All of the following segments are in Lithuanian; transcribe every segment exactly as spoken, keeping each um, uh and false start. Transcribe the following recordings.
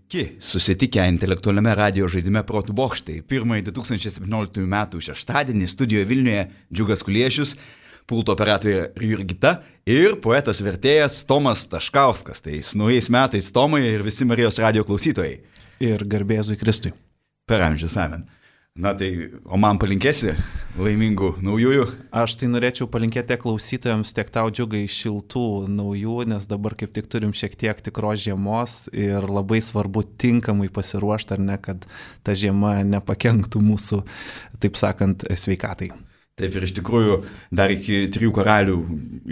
Sveiki, susitikę intelektualiame radio žaidime Protų bokštai. Pirmąjį du tūkstančiai septynioliktųjų metų šeštadienį studijoje Vilniuje Džiugas Kuliešius, pulto operatorė Jurgita ir poetas vertėjas Tomas Taškauskas. Tai su naujais metais Tomai ir visi Marijos radio klausytojai. Ir garbėzui Kristui. Per amžius amen. Na tai, o man palinkėsi laimingų naujųjų? Aš tai norėčiau palinkėti klausytojams tiek tau, Džiugai, šiltų naujų, nes dabar kaip tik turim šiek tiek tikros žiemos ir labai svarbu tinkamai pasiruošti, ar ne, kad ta žiema nepakenktų mūsų, taip sakant, sveikatai. Taip ir iš tikrųjų dar iki trijų karalių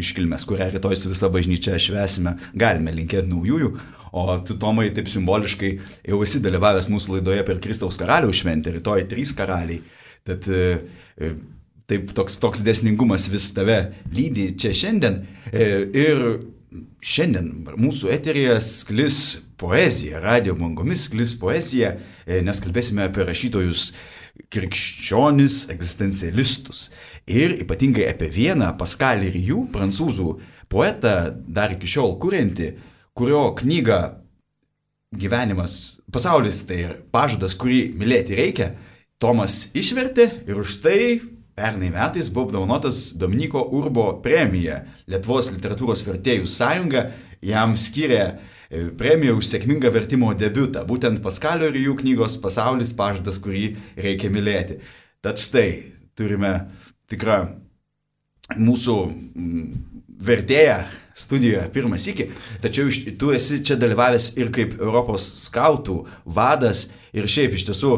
iškilmės, kurią rytoj su visa bažnyčia švęsime, galime linkėti naujųjų. O tu, Tomai, taip simboliškai jau esi dalyvavęs mūsų laidoje per Kristaus karaliaus šventę, rytoj trys karaliai. Tad taip toks, toks dėsningumas vis tave lydi čia šiandien. Ir šiandien mūsų eteryje sklis poezija, radio bangomis sklis poezija, nes kalbėsime apie rašytojus krikščionis, egzistencialistus. Ir ypatingai apie vieną Pascalį Rieu, prancūzų poetą, dar iki šiol kuriantį, kurio knyga Gyvenimas, pasaulis tai pažadas, kurį mylėti reikia, Tomas išvertė ir už tai pernai metais buvo apdovanotas Dominiko Urbo premija. Lietuvos literatūros vertėjų sąjunga jam skyrė premiją už sėkmingą vertimo debiutą, būtent Pascalio Rieu knygos Pasaulis pažadas, kurį reikia mylėti. Tad štai turime tikrą mūsų vertėją studijoje pirmą sykį, tačiau tu esi čia dalyvavęs ir kaip Europos skautų vadas ir šiaip iš tiesų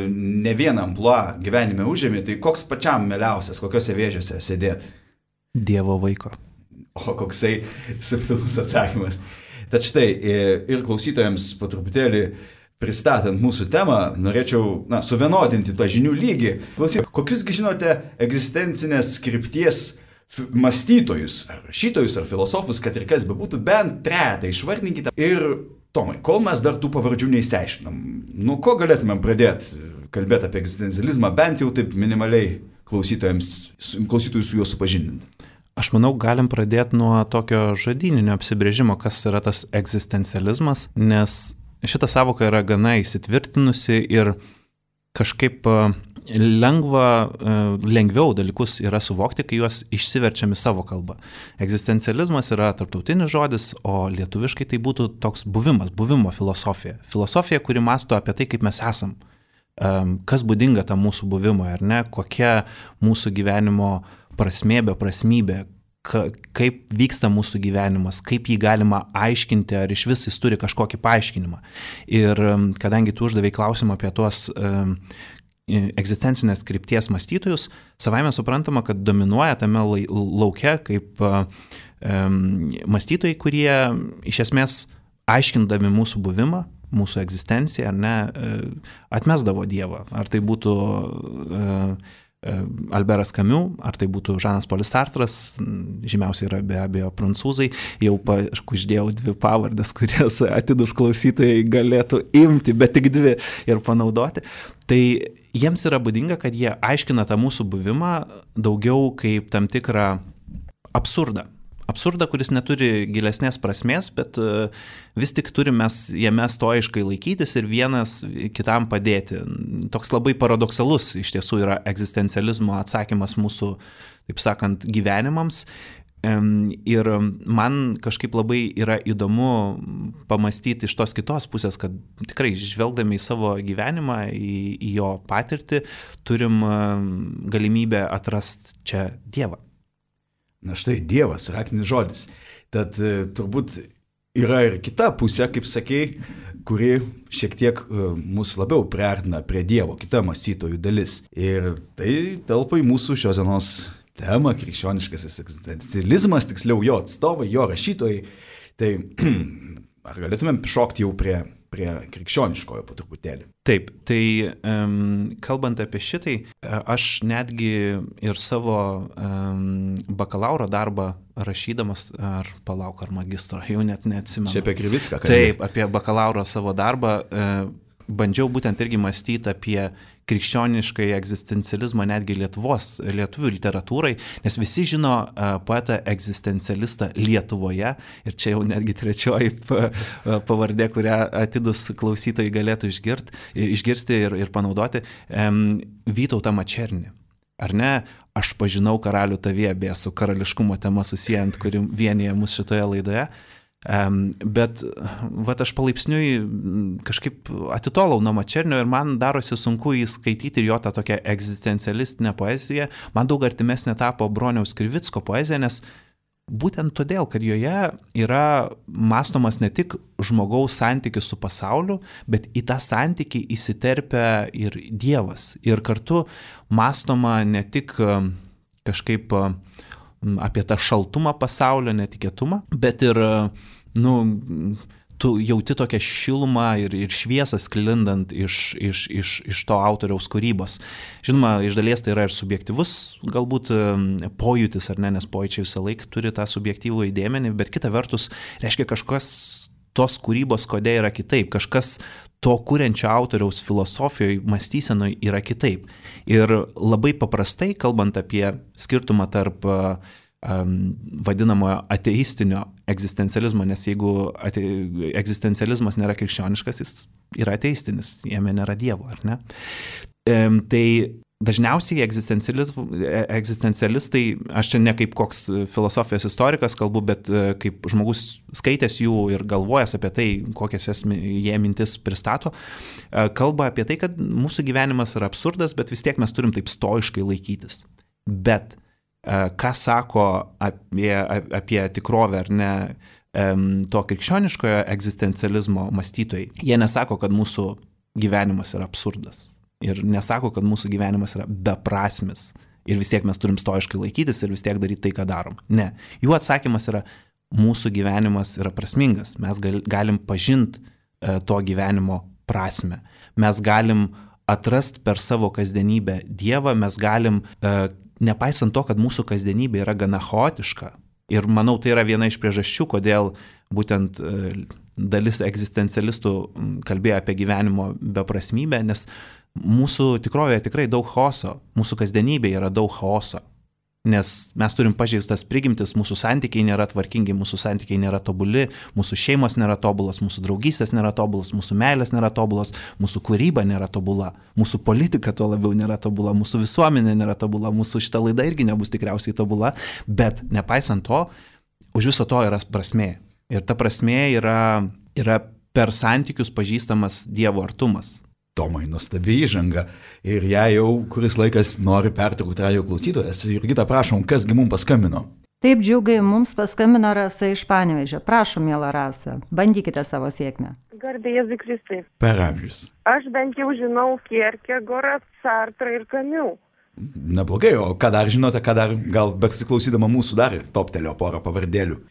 ne vieną amplua gyvenime užėmė, tai koks pačiam mieliausias, kokiose vėžiose sėdėt? Dievo vaiko. O koksai subtilus atsakymas. Tad štai ir klausytojams po truputėlį pristatant mūsų temą, norėčiau na, suvienodinti tą žinių lygį. Klausyk, kokiusgi žinote egzistencinės krypties mąstytojus, ar rašytojus, ar filosofus, kad ir kas bebūtų, bent trejetą išvardinkite. Ir, Tomai, kol mes dar tų pavardžių neįsiaiškinam, nuo ko galėtumėm pradėti kalbėti apie egzistencializmą, bent jau taip minimaliai klausytojams, klausytojus su juo supažindinti? Aš manau, galim pradėti nuo tokio žodyninio apsibrėžimo, kas yra tas egzistencializmas, nes šita savoka yra gana įsitvirtinusi ir kažkaip lengva, lengviau dalykus yra suvokti, kai juos išsiverčiam į savo kalbą. Egzistencializmas yra tarptautinis žodis, o lietuviškai tai būtų toks buvimas, buvimo filosofija. Filosofija, kuri mąsto apie tai, kaip mes esam, kas būdinga tam mūsų buvimui, ar ne, kokia mūsų gyvenimo prasmė, beprasmybė, kaip vyksta mūsų gyvenimas, kaip jį galima aiškinti, ar iš vis jis turi kažkokį paaiškinimą. Ir kadangi tu uždavei klausimą apie tuos egzistencinės krypties mąstytojus, savaime suprantama, kad dominuoja tame lauke kaip mąstytojai, kurie iš esmės aiškindami mūsų buvimą, mūsų egzistenciją, ar ne, atmesdavo Dievą. Ar tai būtų Alberas Camus, ar tai būtų Žanas Polis Sartras, žymiausiai yra be abejo prancūzai, jau pakuždėjau dvi pavardės, kurias atidus klausytojai galėtų imti, bet tik dvi ir panaudoti. Tai jiems yra būdinga, kad jie aiškina tą mūsų buvimą daugiau kaip tam tikrą absurdą. Absurdą, kuris neturi gilesnės prasmės, bet vis tik turime mes jame stoiškai laikytis ir vienas kitam padėti. Toks labai paradoksalus iš tiesų yra egzistencializmo atsakymas mūsų, taip sakant, gyvenimams. Ir man kažkaip labai yra įdomu pamastyti iš tos kitos pusės, kad tikrai žvelgdami į savo gyvenimą, į, į jo patirtį, turim galimybę atrasti čia Dievą. Na štai, Dievas, raktinis žodis. Tad turbūt yra ir kita pusė, kaip sakei, kuri šiek tiek mus labiau priartina prie Dievo, kita mąstytojų dalis. Ir tai telpa į mūsų šios dienos temą, krikščioniškasis egzistencializmas, tiksliau jo atstovai, jo rašytojai. Tai ar galėtumėm šokti jau prie, prie krikščioniškojo po truputėlį? Taip, tai um, kalbant apie šitai, aš netgi ir savo um, bakalauro darbą rašydamas, ar palauk, ar magistro, jau net neatsimenu. Čia apie Krivicką kalbėjau. Taip, apie bakalauro savo darbą. Uh, bandžiau būtent irgi mąstyti apie krikščioniškai egzistencializmą netgi Lietuvos, lietuvių literatūrai, nes visi žino poetą egzistencialistą Lietuvoje ir čia jau netgi trečioji pavardė, kurią atidus klausytojai galėtų išgirt, išgirsti ir, ir panaudoti, Vytautą Mačernį. Ar ne, aš pažinau karalių tavyje, beje, su karališkumo tema susijant, kuri vienyje mus šitoje laidoje. Um, bet vat aš palaipsniui kažkaip atitolau nuo Mačernio ir man darosi sunku įskaityti ir jo tą tokią egzistencialistinę poeziją. Man daug artimesnė tapo Broniaus Krivicko poezija, nes būtent todėl, kad joje yra mąstomas ne tik žmogaus santykis su pasauliu, bet į tą santykį įsiterpia ir Dievas. Ir kartu mąstoma ne tik kažkaip apie tą šaltumą pasaulio, netikėtumą, bet ir, nu, tu jauti tokią šilumą ir, ir šviesą sklindant iš, iš, iš, iš to autoriaus kūrybos. Žinoma, iš dalies tai yra ir subjektyvus galbūt pojūtis, ar ne, nes pojūčiai visą laiką turi tą subjektyvų įdėmenį, bet kita vertus reiškia kažkas tos kūrybos kodėl yra kitaip, kažkas to kuriančio autoriaus filosofijoje, mąstysenoje yra kitaip. Ir labai paprastai, kalbant apie skirtumą tarp um, vadinamojo ateistinio egzistencializmo, nes jeigu ate, egzistencializmas nėra krikščioniškas, jis yra ateistinis, jame nėra Dievo, ar ne? Um, tai dažniausiai egzistencialistai, aš čia ne kaip koks filosofijos istorikas kalbu, bet kaip žmogus skaitęs jų ir galvojęs apie tai, kokias jie mintis pristato, kalba apie tai, kad mūsų gyvenimas yra absurdas, bet vis tiek mes turim taip stoiškai laikytis. Bet ką sako apie, apie tikrovę ar ne to krikščioniškojo egzistencializmo mąstytojai, jie nesako, kad mūsų gyvenimas yra absurdas. Ir nesako, kad mūsų gyvenimas yra beprasmis ir vis tiek mes turim stoiškai laikytis ir vis tiek daryti tai, ką darom. Ne. Jų atsakymas yra, mūsų gyvenimas yra prasmingas. Mes gal, galim pažinti e, to gyvenimo prasmę. Mes galim atrasti per savo kasdienybę Dievą, mes galim, e, nepaisant to, kad mūsų kasdienybė yra gana chaotiška. Ir manau, tai yra viena iš priežasčių, kodėl būtent e, dalis egzistencialistų kalbėjo apie gyvenimo beprasmybę, nes mūsų tikrovėje tikrai daug chaoso, mūsų kasdienybėje yra daug chaoso, nes mes turim pažeistas prigimtis, mūsų santykiai nėra tvarkingi, mūsų santykiai nėra tobuli, mūsų šeimos nėra tobulos, mūsų draugystės nėra tobulos, mūsų meilės nėra tobulos, mūsų kūryba nėra tobula, mūsų politika tuo labiau nėra tobula, mūsų visuomenė nėra tobula, mūsų šita laida irgi nebus tikriausiai tobula, bet nepaisant to, už viso to yra prasmė. Ir ta prasmė yra, yra per santykius pažįstamas Dievo artumas. Tomai, nuostabi įžanga. Ir ją jau kuris laikas nori pertraukti radijo klausytojas. Jurgita, prašom, kasgi mums paskambino? Taip, džiugai, mums paskambino Rasa iš Panevėžio. Prašom, miela Rasa, bandykite savo sėkmę. Garbė Jėzui Kristui. Per amžius. Aš bent jau žinau Kierkegaurą, Sartrą ir Kamiu. Neblogai, o ką dar žinote, ką dar, gal besiklausydama mūsų dar toptelio porą pavardėlių?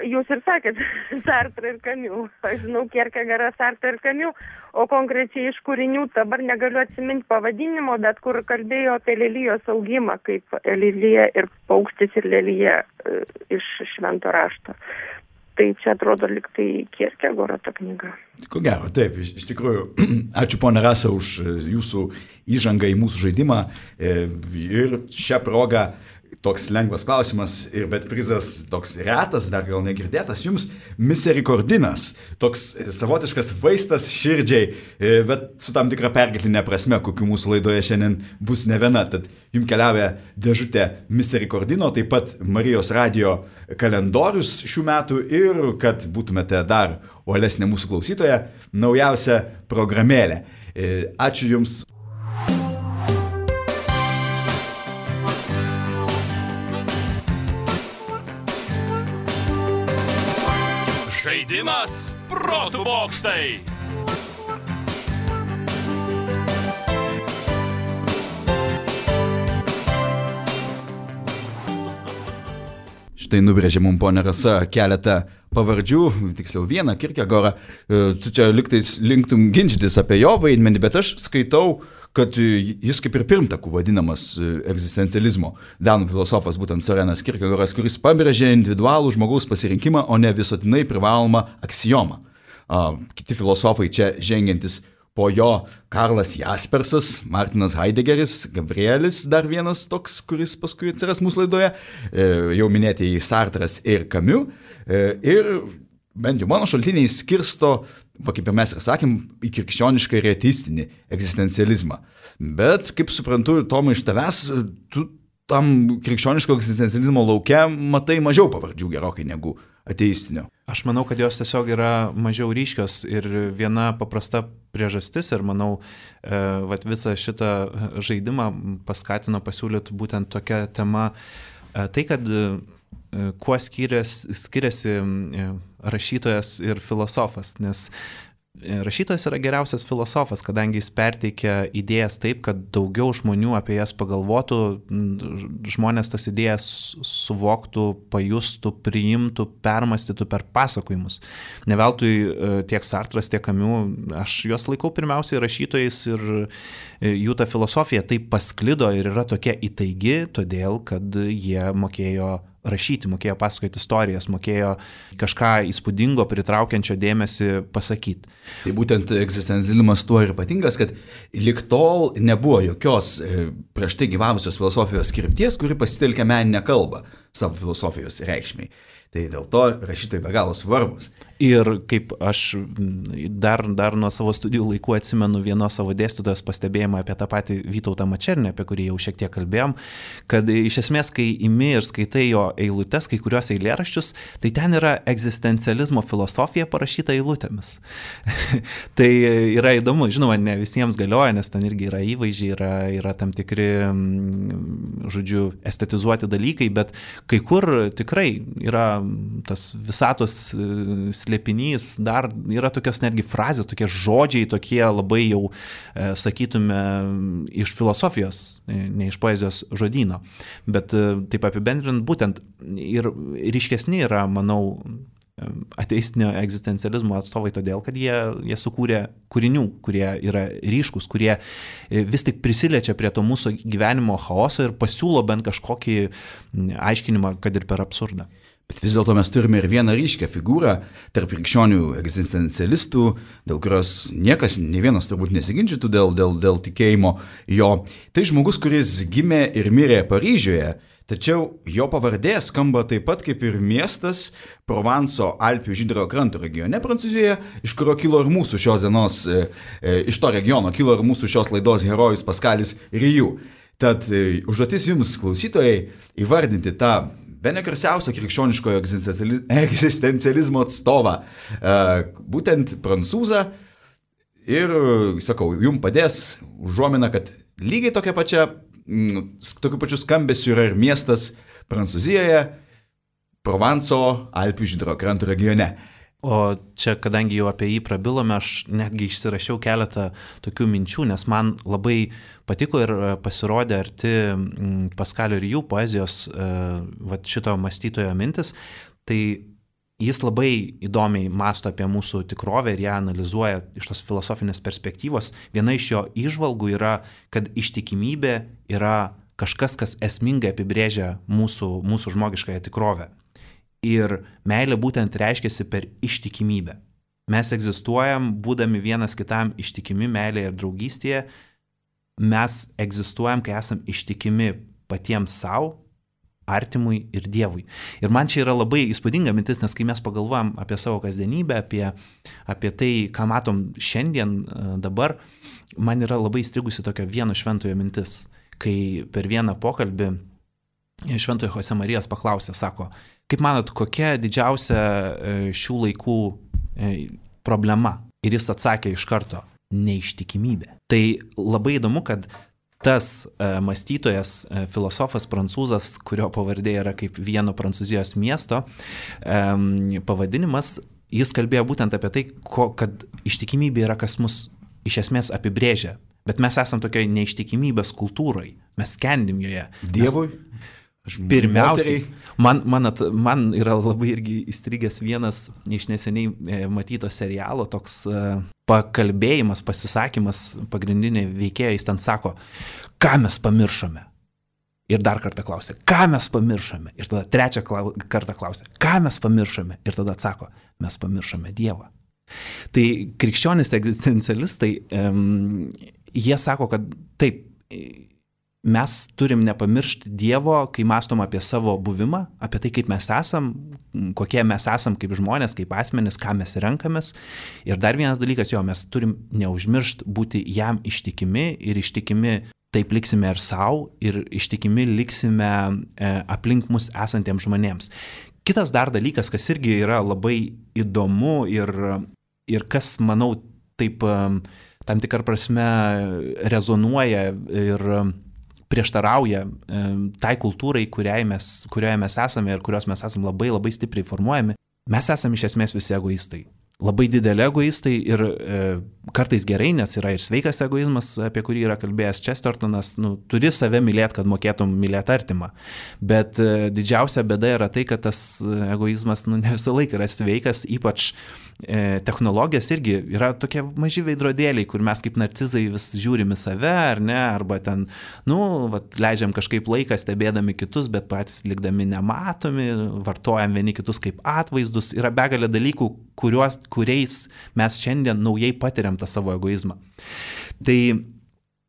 Jūs ir sakėt, Sartrą ir Kamiu. Aš žinau Kierkegaurą, Sartrą ir Kamiu, o konkrečiai iš kūrinių dabar negaliu atsiminti pavadinimo, bet kur kalbėjo apie lelijos augimą, kaip lelija ir paukštis ir lelija iš švento rašto. Tai čia atrodo lyg tai Kierkegauro ta knyga. Ko gero, taip, iš, iš tikrųjų, ačiū ponia Rasa už jūsų įžangą į mūsų žaidimą ir šią progą toks lengvas klausimas, ir bet prizas toks retas, dar gal negirdėtas jums, miserikordinas, toks savotiškas vaistas širdžiai, bet su tam tikra perkeltinė prasme, kokiu mūsų laidoje šiandien bus ne viena. Tad jums keliauja dėžutė miserikordino, taip pat Marijos radijo kalendorius šių metų ir, kad būtumėte dar uolesnė mūsų klausytoja, naujausia programėlė. Ačiū jums. Žaidimas protų bokštai. Štai nubrėžė mums ponia Rasa keletą pavardžių, tiksliau vieną, Kierkegaurą. Tu čia liktais linktum ginčytis apie jo vaidmenį, bet aš skaitau, kad jis kaip ir pirmtakų vadinamas egzistencializmo. Danų filosofas būtent Sorenas Kierkegoras, kuris pabrėžė individualų žmogaus pasirinkimą, o ne visuotinai privalomą aksiomą. Kiti filosofai čia žengiantis po jo Karlas Jaspersas, Martinas Heideggeris, Gabrielis, dar vienas toks, kuris paskui atsiras mūsų laidoje, jau minėtieji Sartras ir Camus. Ir bent jau mano šaltiniai skirsto, va, kaip ir mes ir sakėm, į krikščionišką ir ateistinį egzistencializmą. Bet, kaip suprantu, Tomai, iš tavęs, tu tam krikščioniško egzistencializmo lauke matai mažiau pavardžių gerokai negu ateistinio. Aš manau, kad jos tiesiog yra mažiau ryškios ir viena paprasta priežastis ir manau, e, vat visą šitą žaidimą paskatino pasiūlyti būtent tokia tema, e, tai kad e, kuo skiriasi, skiriasi e, rašytojas ir filosofas, nes rašytojas yra geriausias filosofas, kadangi jis perteikia idėjas taip, kad daugiau žmonių apie jas pagalvotų, žmonės tas idėjas suvoktų, pajustų, priimtų, permastytų per pasakojimus. Ne veltui tiek Sartras, tiek Camus, aš juos laikau pirmiausiai rašytojais ir jų ta filosofija taip pasklido ir yra tokia įtaigi, todėl kad jie mokėjo rašyti, mokėjo pasakoti istorijas, mokėjo kažką įspūdingo, pritraukiančio dėmesį pasakyti. Tai būtent egzistencializmas tuo ir ypatingas, kad lig tol nebuvo jokios prieš tai gyvavusios filosofijos krypties, kuri pasitelkia meninę kalbą savo filosofijos reikšmiai. Tai dėl to rašytojai be galo svarbus. Ir kaip aš dar, dar nuo savo studijų laikų atsimenu vienos savo dėstytojos pastebėjimą apie tą patį Vytautą Mačernį, apie kurį jau šiek tiek kalbėjom, kad iš esmės, kai imi ir skaitai jo eilutes, kai kurios eilėraščius, tai ten yra egzistencializmo filosofija parašyta eilutėmis. Tai yra įdomu, žinoma, ne visiems galioja, nes ten irgi yra įvaizdžiai, yra, yra tam tikri, žodžiu, estetizuoti dalykai, bet kai kur tikrai yra tas visatos slėpinys, dar yra tokios netgi frazės, tokie žodžiai, tokie labai jau, e, sakytume, iš filosofijos, ne iš poezijos žodyno. Bet e, taip apibendrinant, būtent ir ryškesni yra, manau, ateistinio egzistencializmo atstovai todėl, kad jie, jie sukūrė kūrinių, kurie yra ryškus, kurie vis tik prisiliečia prie to mūsų gyvenimo chaoso ir pasiūlo bent kažkokį aiškinimą, kad ir per absurdą. Bet vis dėlto mes turime ir vieną ryškę figūrą tarp krikščionių egzistencialistų, dėl kurios niekas, ne vienas turbūt nesiginčytų dėl, dėl, dėl tikėjimo jo. Tai žmogus, kuris gimė ir mirė Paryžiuje, tačiau jo pavardė skamba taip pat kaip ir miestas Provanso Alpių Žydrojo kranto regione Prancūzijoje, iš kurio kilo ir mūsų šios dienos, e, e, iš to regiono kilo ir mūsų šios laidos herojus Paskalis Rijų. Tad e, užduotis jums, klausytojai, įvardinti tą bene garsiausią krikščioniškojo egzistencializmo atstovą, būtent prancūzą, ir, sakau, jums padės užuomina, kad lygiai tokia pačia, tokiu pačiu skambesiu yra ir miestas Prancūzijoje, Provanso Alpių Žydrojo kranto regione. O čia, kadangi jau apie jį prabilome, aš netgi išsirašiau keletą tokių minčių, nes man labai patiko ir pasirodė arti Paskalio Rijų poezijos vat šito mąstytojo mintis. Tai jis labai įdomiai mąsto apie mūsų tikrovę ir ją analizuoja iš tos filosofinės perspektyvos. Viena iš jo įžvalgų yra, kad ištikimybė yra kažkas, kas esmingai apibrėžia mūsų, mūsų žmogiškąją tikrovę. Ir meilė būtent reiškiasi per ištikimybę. Mes egzistuojam, būdami vienas kitam ištikimi meilėje ir draugystėje. Mes egzistuojam, kai esam ištikimi patiems savo, artimui ir Dievui. Ir man čia yra labai įspūdinga mintis, nes kai mes pagalvojam apie savo kasdienybę, apie, apie tai, ką matom šiandien, dabar, man yra labai įstrigusi tokia vieno šventojo mintis, kai per vieną pokalbį šventojo Jose Marijos paklausė, sako, kaip manot, kokia didžiausia šių laikų problema? Ir jis atsakė iš karto, neištikimybė. Tai labai įdomu, kad tas mąstytojas, filosofas prancūzas, kurio pavardė yra kaip vieno Prancūzijos miesto pavadinimas, jis kalbėjo būtent apie tai, kad ištikimybė yra, kas mus iš esmės apibrėžia. Bet mes esam tokioje neištikimybės kultūroje, mes skendim joje. Dievui? Pirmiausiai, man, man, at, man yra labai irgi įstrigęs vienas iš neseniai matyto serialo, toks uh, pakalbėjimas, pasisakymas, pagrindinė veikėja, jis ten sako, ką mes pamiršome. Ir dar kartą klausė, ką mes pamiršome. Ir tada trečią klau, kartą klausė, ką mes pamiršome. Ir tada atsako, mes pamiršome Dievą. Tai krikščionys egzistencialistai, um, jie sako, kad taip, mes turim nepamiršti Dievo, kai mąstom apie savo buvimą, apie tai, kaip mes esam, kokie mes esam kaip žmonės, kaip asmenys, ką mes renkamės. Ir dar vienas dalykas, jo, mes turim neužmiršti būti jam ištikimi ir ištikimi taip liksime ir savo, ir ištikimi liksime e, aplink mus esantiems žmonėms. Kitas dar dalykas, kas irgi yra labai įdomu ir, ir kas, manau, taip tam tikrą prasme rezonuoja ir prieštarauja tai kultūrai, kurioje mes, kurioje mes esame ir kurios mes esame labai labai stipriai formuojami. Mes esame iš esmės visi egoistai. Labai dideli egoistai ir e, kartais gerai, nes yra ir sveikas egoizmas, apie kurį yra kalbėjęs Chestertonas, nu, turi save mylėti, kad mokėtum mylėti artimą. Bet e, didžiausia bėda yra tai, kad tas egoizmas nu, ne visą laiką yra sveikas, ypač e, technologijos irgi yra tokie maži veidrodėliai, kur mes kaip narcizai vis žiūrime save, ar ne, arba ten, nu, vat, leidžiam kažkaip laiką stebėdami kitus, bet patys likdami nematomi, vartojam vieni kitus kaip atvaizdus, yra begalė dalykų, kuriuos kuriais mes šiandien naujai patiriam tą savo egoizmą. Tai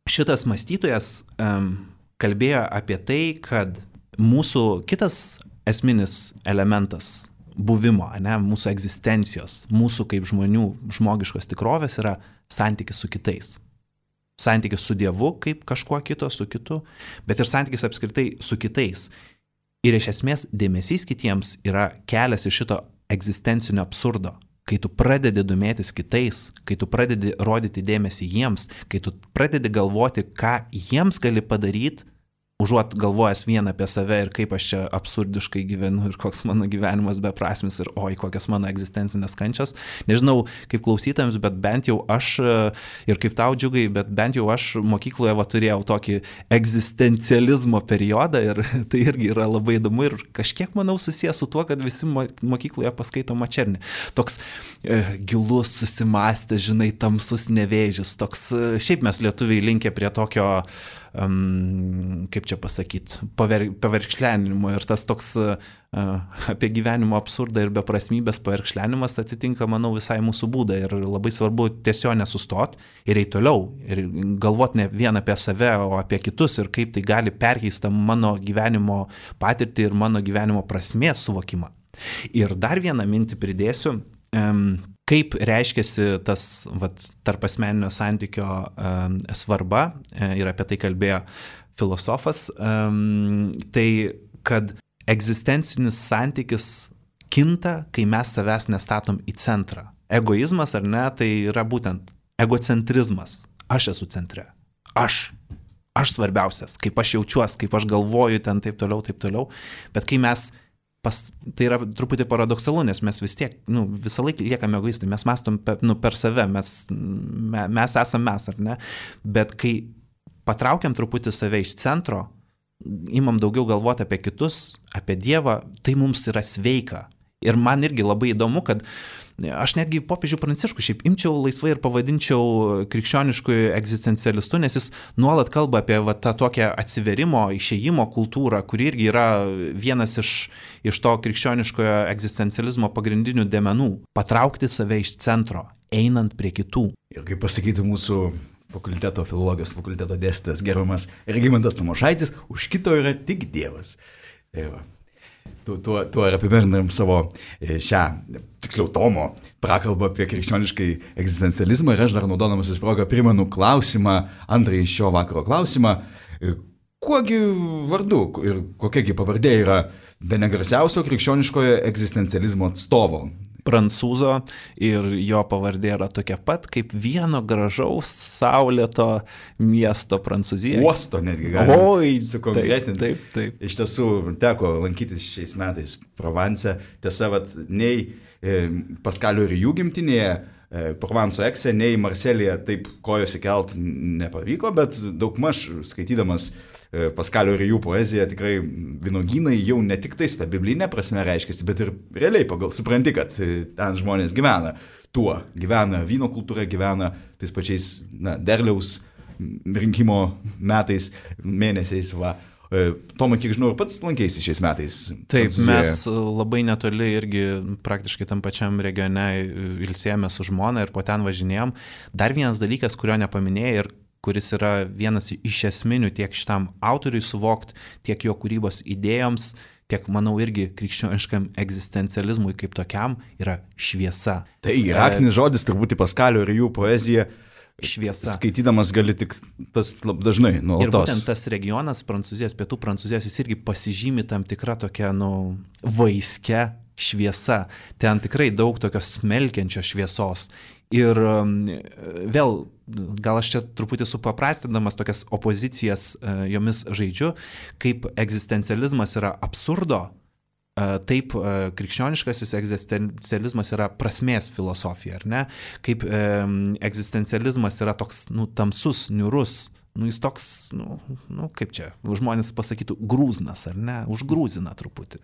šitas mąstytojas um, kalbėjo apie tai, kad mūsų kitas esminis elementas buvimo, ne, mūsų egzistencijos, mūsų kaip žmonių žmogiškos tikrovės yra santykis su kitais. Santykis su Dievu kaip kažkuo kito, su kitu, bet ir santykis apskritai su kitais. Ir iš esmės dėmesys kitiems yra kelias iš šito egzistencinio absurdo. Kai tu pradedi domėtis kitais, kai tu pradedi rodyti dėmesį jiems, kai tu pradedi galvoti, ką jiems gali padaryti, užuot galvojęs vien apie save ir kaip aš čia absurdiškai gyvenu ir koks mano gyvenimas beprasmis ir oi, kokios mano egzistencinės kančios. Nežinau, kaip klausytams, bet bent jau aš, ir kaip tau Džiugai, bet bent jau aš mokykloje va, turėjau tokį egzistencializmo periodą ir tai irgi yra labai įdomu ir kažkiek, manau, susijęs su tuo, kad visi mokykloje paskaito Mačernį. Toks e, gilus, susimąstęs, žinai, tamsus nevėžis. Toks, šiaip mes lietuviai linkę prie tokio Um, kaip čia pasakyti, paver, paverkšlenimo ir tas toks uh, apie gyvenimo absurdą ir beprasmybės paverkšlenimas atitinka, manau, visai mūsų būdą ir labai svarbu tiesiog nesustoti ir eiti toliau ir galvoti ne vien apie save, o apie kitus ir kaip tai gali perkeisti mano gyvenimo patirtį ir mano gyvenimo prasmės suvokimą. Ir dar vieną mintį pridėsiu. Um, kaip reiškiasi tas vat, tarp asmeninio santykio um, svarba, ir apie tai kalbėjo filosofas, um, tai kad egzistencinis santykis kinta, kai mes savęs nestatom į centrą. Egoizmas ar ne, tai yra būtent egocentrizmas. Aš esu centre. Aš. Aš svarbiausias. Kaip aš jaučiuos, kaip aš galvoju ten taip toliau, taip toliau. Bet kai mes Pas, tai yra truputį paradoksalu, nes mes vis tiek, nu, visą laiką liekame egoistai, mes mąstom per, nu, per save, mes, me, mes esame mes, ar ne? Bet kai patraukiam truputį save iš centro, imam daugiau galvoti apie kitus, apie Dievą, tai mums yra sveika. Ir man irgi labai įdomu, kad aš netgi popiežių Pranciškų šiaip imčiau laisvai ir pavadinčiau krikščioniškųjų egzistencialistų, nes jis nuolat kalba apie va, tą tokią atsiverimo, išėjimo kultūrą, kuri irgi yra vienas iš, iš to krikščioniškojo egzistencializmo pagrindinių dėmenų. Patraukti save iš centro, einant prie kitų. Ir kaip pasakyti mūsų fakulteto filologijos fakulteto dėstytojas gerbiamas Regimantas Tamošaitis, už kito yra tik Dievas. Tai va. Tuo, tuo, tuo ir apibendrinam savo šią, tiksliau, Tomo prakalbą apie krikščioniškai egzistencializmą ir aš dar naudodamasis progą primenu klausimą, antrąjį šio vakaro klausimą, kuogi vardu ir kokiagi pavardė yra bene garsiausio krikščioniškojo egzistencializmo atstovo? Prancūzo ir jo pavardė yra tokia pat kaip vieno gražaus saulėto miesto Prancūzijoje. Uosto netgi galima Oi, sukonkretinti. Taip, taip, taip. Iš tiesų teko lankytis šiais metais Provence. Tiesa, vat, nei e, Paskalio ir jų gimtinėje, e, Provanso Ekse, nei Marselėje taip kojos įkelt nepavyko, bet daugmaž skaitydamas Paskalio ir jų poezija, tikrai vynogynai jau ne tik tais ta biblinė prasme reiškiasi, bet ir realiai pagal supranti, kad ten žmonės gyvena tuo, gyvena vyno kultūra, gyvena tais pačiais na, derliaus rinkimo metais, mėnesiais. Va. Tomai, kiek žinau, ir pats lankėsi šiais metais. Taip, mes labai netoli irgi praktiškai tam pačiam regione ilsėjome su žmona ir po ten važinėjom. Dar vienas dalykas, kurio nepaminėjai ir kuris yra vienas iš esminių tiek šitam autoriui suvokti, tiek jo kūrybos idėjoms, tiek, manau, irgi krikščioniškam egzistencializmui kaip tokiam, yra šviesa. Tai raktinis žodis turbūt į Paskalio ir jų poeziją. Šviesa. Skaitydamas gali tik tas dažnai nuolatos. Ir būtent tas regionas Prancūzijos, pietų Prancūzijos, jis irgi pasižymi tam tikrą tokią, nu, vaiskę šviesa. Ten tikrai daug tokios smelkiančios šviesos. Ir vėl, gal aš čia truputį supaprastindamas tokias opozicijas jomis žaidžiu, kaip egzistencializmas yra absurdo, taip krikščioniškasis egzistencializmas yra prasmės filosofija, ar ne? Kaip e, egzistencializmas yra toks, nu, tamsus, niurus, nu, jis toks, nu, nu, kaip čia, žmonės pasakytų, grūznas, ar ne? Užgrūzina truputį.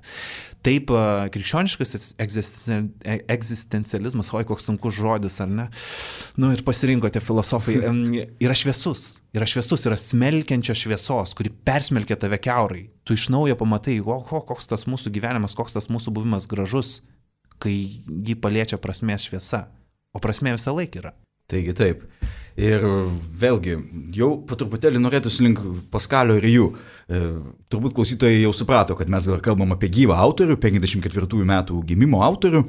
Taip, krikščioniškasis egzisten, egzistencializmas, oi, koks sunkus žodis, ar ne? Nu, ir pasirinkote filosofai, yra šviesus. Yra šviesus, yra smelkiančios šviesos, kuri persmelkia tave kiaurai. Tu iš naujo pamatai, o, o, koks tas mūsų gyvenimas, koks tas mūsų buvimas gražus, kai jį paliečia prasmės šviesa. O prasmė visą laiką yra. Taigi taip. Ir vėlgi, jau po truputėlį norėtųsi link Paskalio ir jų. E, turbūt klausytojai jau suprato, kad mes dabar kalbam apie gyvą autorių, penkiasdešimt ketvirtųjų metų gimimo autorių.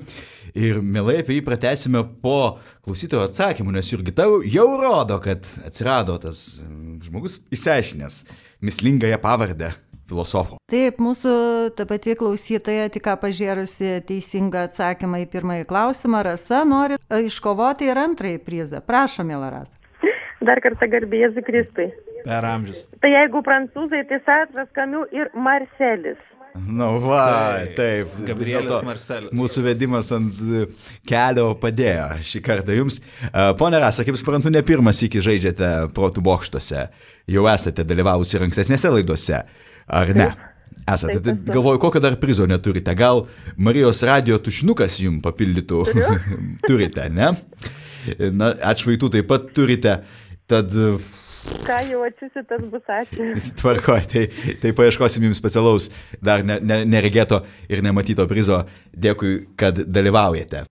Ir mielai apie jį pratęsime po klausytojo atsakymų, nes Jurgita jau rodo, kad atsirado tas žmogus išsiaiškinęs mislingąją pavardę filosofo. Taip, mūsų ta pati klausytoja, tik ką pažiūrėjusi teisingą atsakymą į pirmąjį klausimą, Rasa nori iškovoti ir antrąjį prizą. Prašom, miela Rasa. Dar kartą garbė Jėzui Kristui. Per amžius. Tai jeigu prancūzai, tai Sartras, Camus ir Marselis. Na va, taip. Gabrielis Marselis. Mūsų vedimas ant kelio padėjo šį kartą jums. Pone Rasa, kaip suprantu, ne pirmas iki žaidžiate protų bokštuose. Jau esate dalyvavusi ir ankstesnėse laidose, ar ne? Esate. Tai galvoju, kokio dar prizo neturite. Gal Marijos radijo tušinukas jums papildytų? Turite, ne? Na, atšvaitų taip pat turite. Tad... Ką jau atsisi, tas bus ačiū. Tvarkoj, tai, tai paieškosim jums specialaus, dar ne, ne, neregėto ir nematyto prizo. Dėkui, kad dalyvaujate.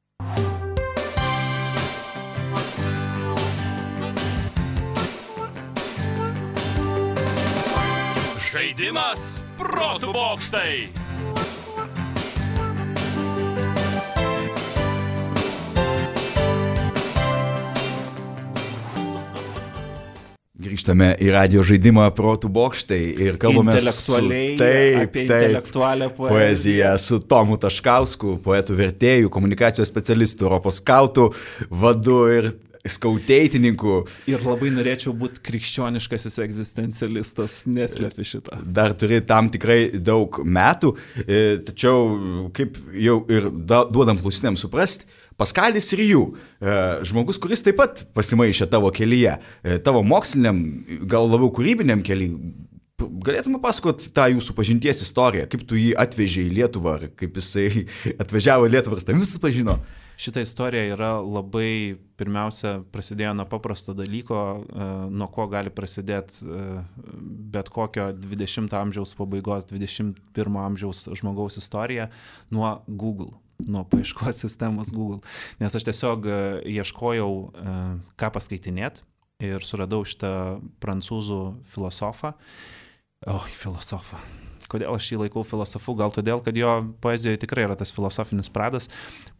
Žaidimas protų bokštai. Grįžtame į radijo žaidimą protų bokštai ir kalbame su, taip, apie taip, intelektualią poeziją. poeziją su Tomu Taškausku, poetų vertėjų, komunikacijos specialistų, Europos skautų vadu ir skauteitininku. Ir labai norėčiau būti krikščioniškasis egzistencialistas, neslepi šitą. Dar turi tam tikrai daug metų, tačiau kaip jau ir duodam klausytėms suprasti, Paskalis ir jų, žmogus, kuris taip pat pasimaišė tavo kelyje, tavo moksliniam, gal labiau kūrybiniam kelyje. Galėtume pasakoti tą jūsų pažinties istoriją, kaip tu jį atvežė į Lietuvą, ar kaip jisai atvažiavo į Lietuvą, ar tavim susipažino? Šita istorija yra labai, pirmiausia, prasidėjo nuo paprasto dalyko, nuo ko gali prasidėti bet kokio dvidešimto amžiaus pabaigos, dvidešimt pirmo amžiaus žmogaus istorija, nuo Google. Nuo paieškos sistemos Google, nes aš tiesiog ieškojau, ką paskaitinėt ir suradau šitą prancūzų filosofą. Oi, filosofą. Kodėl aš jį laikau filosofu? Gal todėl, kad jo poezijoje tikrai yra tas filosofinis pradas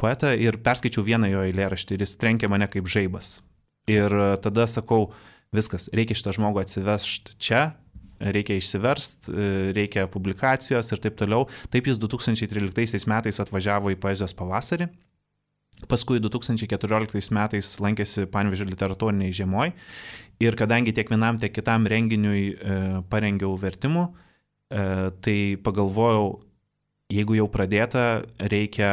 poetą ir perskaičiau vieną jo eilėraštį ir jis trenkė mane kaip žaibas. Ir tada sakau, viskas, reikia šitą žmogų atsivežti čia, reikia išsiverst, reikia publikacijos ir taip toliau. Taip jis du tūkstančiai tryliktaisiais metais atvažiavo į poezijos pavasarį, paskui du tūkstančiai keturioliktaisiais metais lankėsi Panevėžio literatūriniai žiemoj ir kadangi tiek vienam, tiek kitam renginiui e, parengiau vertimų, e, tai pagalvojau, jeigu jau pradėta, reikia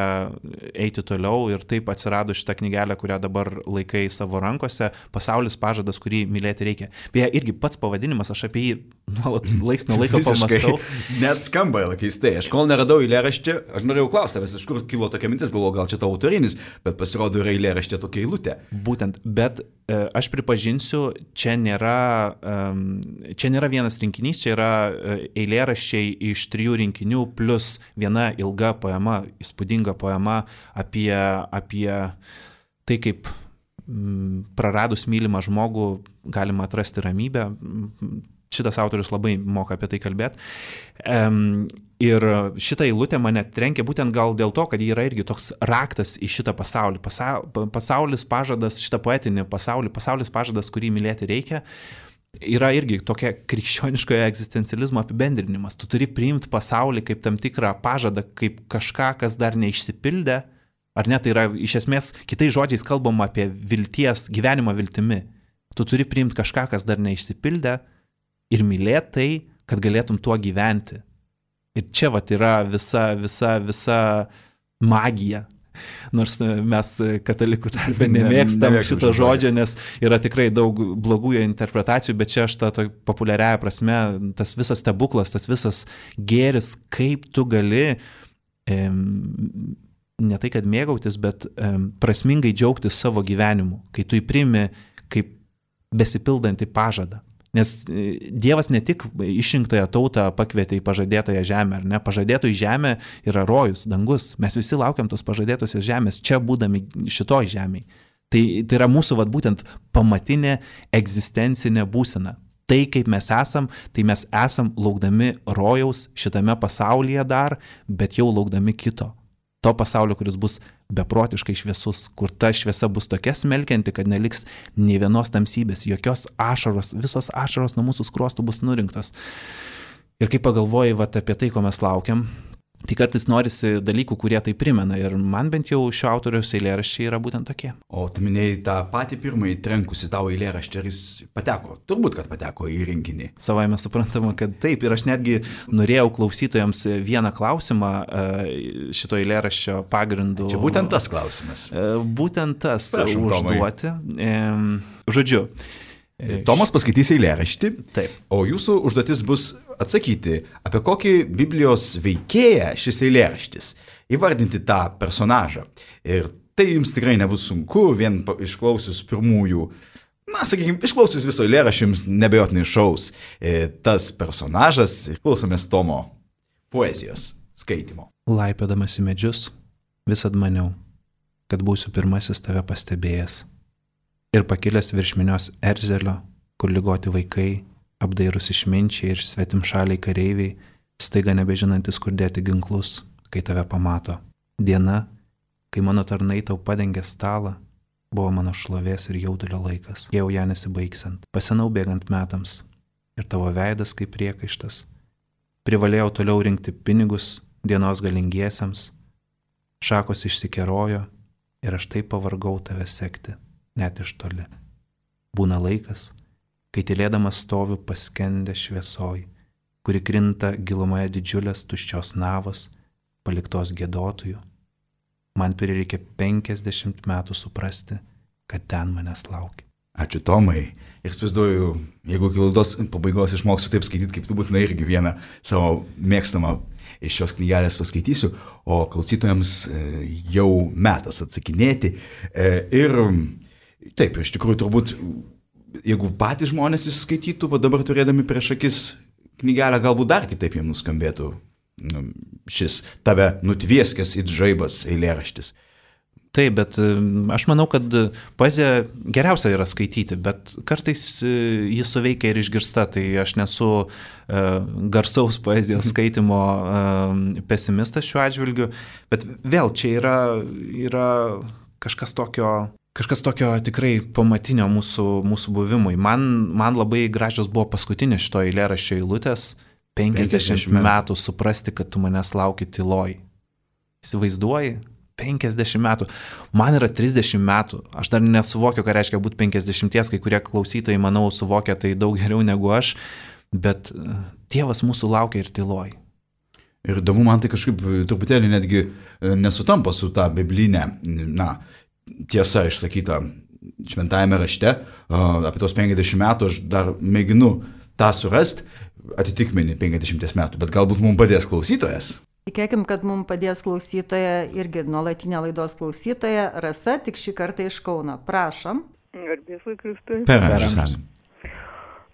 eiti toliau ir taip atsirado šitą knygelę, kurią dabar laikai savo rankose, Pasaulis pažadas, kurį mylėti reikia. Beje, irgi pats pavadinimas, aš apie jį nuolat laiks nuo laiko pamastau. Net skamba keistai. Aš kol neradau eilėraštį, aš norėjau klausti tavęs, iš kur kilo tokia mintis, galvoju, gal čia tavo autorinis, bet pasirodo yra eilėraštė tokia eilutė. Būtent, bet aš pripažinsiu, čia nėra, čia nėra vienas rinkinys, čia yra eilėraščiai iš trijų rinkinių plus viena ilga poema, įspūdinga poema apie, apie tai, kaip praradus mylimą žmogų galima atrasti ramybę. Šitas autorius labai moka apie tai kalbėti. Ir šitą eilutę mane trenkia būtent gal dėl to, kad ji yra irgi toks raktas į šitą pasaulį. Pasaulis pažadas, šitą poetinį pasaulį, pasaulis pažadas, kurį mylėti reikia, yra irgi tokia krikščioniškojo egzistencializmo apibendrinimas. Tu turi priimti pasaulį kaip tam tikrą pažadą, kaip kažką, kas dar neišsipildė. Ar ne, tai yra iš esmės, kitais žodžiais kalbama apie vilties, gyvenimą viltimi. Tu turi priimti kažką, kas dar neišsipildė ir mylėti tai, kad galėtum tuo gyventi. Ir čia vat yra visa, visa, visa magija. Nors mes katalikų tarpe nemėgstam ne, šito žodžio, nes yra tikrai daug blogų interpretacijų, bet čia aš tą populiariąją prasme, tas visas stebuklas, tas visas gėris, kaip tu gali, em, ne tai kad mėgautis, bet em, prasmingai džiaugtis savo gyvenimu, kai tu įprimi kaip besipildantį pažadą. Nes Dievas ne tik išrinktąją tautą pakvietė į pažadėtąją žemę, ar ne? Pažadėtoji žemė yra rojus, dangus. Mes visi laukiam tos pažadėtosios žemės, čia būdami šitoj žemėj. Tai, tai yra mūsų vat, būtent pamatinė egzistencinė būsena. Tai, kaip mes esam, tai mes esam laukdami rojaus šitame pasaulyje dar, bet jau laukdami kito. To pasaulio, kuris bus beprotiškai šviesus, kur ta šviesa bus tokia smelkianti, kad neliks nei vienos tamsybės, jokios ašaros, visos ašaros nuo mūsų skruostų bus nurinktos. Ir kai pagalvoji vat, apie tai, ko mes laukiam, tai kartais norisi dalykų, kurie tai primena. Ir man bent jau šio autoriaus eilėraščiai yra būtent tokie. O tu minėjai tą patį pirmąjį trenkusi tavo eilėraštį, ar jis pateko? Turbūt, kad pateko į rinkinį. Savai mes suprantama, kad taip. Ir aš netgi norėjau klausytojams vieną klausimą šito eilėraščio pagrindu. Čia būtent tas klausimas. Būtent tas. Prašom, užduoti. Žodžiu. Tomas paskaitys eilėraštį, Taip. O jūsų užduotis bus atsakyti, apie kokį Biblijos veikėją šis eilėraštis, įvardinti tą personažą. Ir tai jums tikrai nebus sunku, vien išklausius pirmųjų, na, sakykime, išklausius viso eilėraščio jums nebejotinai šaus tas personažas. Klausomės Tomo poezijos skaitimo. Laipiodamas į medžius, visad maniau, kad būsiu pirmasis tave pastebėjęs. Ir pakilęs virš minios erzelio, kur ligoti vaikai, apdairus išminčiai ir svetimšaliai kareiviai, staiga nebežinantis, kur dėti ginklus, kai tave pamato. Diena, kai mano tarnai tau padengė stalą, buvo mano šlovės ir jaudulio laikas, jau ją nesibaigsant, pasenau bėgant metams, ir tavo veidas kaip priekaištas. Privalėjau toliau rinkti pinigus dienos galingiesiems, šakos išsikerojo ir aš taip pavargau tave sekti. Net iš toli. Būna laikas, kai tylėdamas stoviu paskendę šviesoj, kuri krinta gilumoje didžiulės tuščios navos, paliktos giedotojų. Man prireikia penkiasdešimt metų suprasti, kad ten manęs laukia. Ačiū Tomai. Ir įsivaizduoju, jeigu iki laidos pabaigos išmoksiu taip skaityti, kaip tu būtinai irgi vieną savo mėgstamą iš šios knygelės paskaitysiu, o klausytojams jau metas atsakinėti. Ir taip, iš tikrųjų turbūt, jeigu patys žmonės įskaitytų, va dabar turėdami prieš akis knygelę, galbūt dar kitaip jiems nuskambėtų šis tave nutvieskęs it žaibas eilėraštis. Taip, bet aš manau, kad poezija geriausia yra skaityti, bet kartais jis suveikia ir išgirsta, tai aš nesu uh, garsaus poezijos skaitimo uh, pesimistas šiuo atžvilgiu, bet vėl čia yra, yra kažkas tokio... Kažkas tokio tikrai pamatinio mūsų, mūsų buvimui. Man, man labai gražios buvo paskutinė šito eilėraščio eilutės, penkiasdešimt metų suprasti, kad tu manęs lauki tyloj. Įsivaizduoji? penkiasdešimt metų. Man yra trisdešimt metų. Aš dar nesuvokiu, ką reiškia būti penkiasdešimties, kai kurie klausytojai, manau, suvokia tai daug geriau negu aš, bet Dievas mūsų laukia ir tyloj. Ir įdomu, man tai kažkaip truputėlį netgi nesutampa su ta biblinė, na, tiesa išsakyta šventajame rašte, apie tos penkiasdešimt metų aš dar mėginu tą surasti, atitikmenį penkiasdešimties metų, bet galbūt mums padės klausytojas. Tikėkim, kad mums padės klausytoja, irgi nuolatinė laidos klausytoja, Rasa, tik šį kartą iš Kauno. Prašom. Garbėsui Kristui. Per amžius.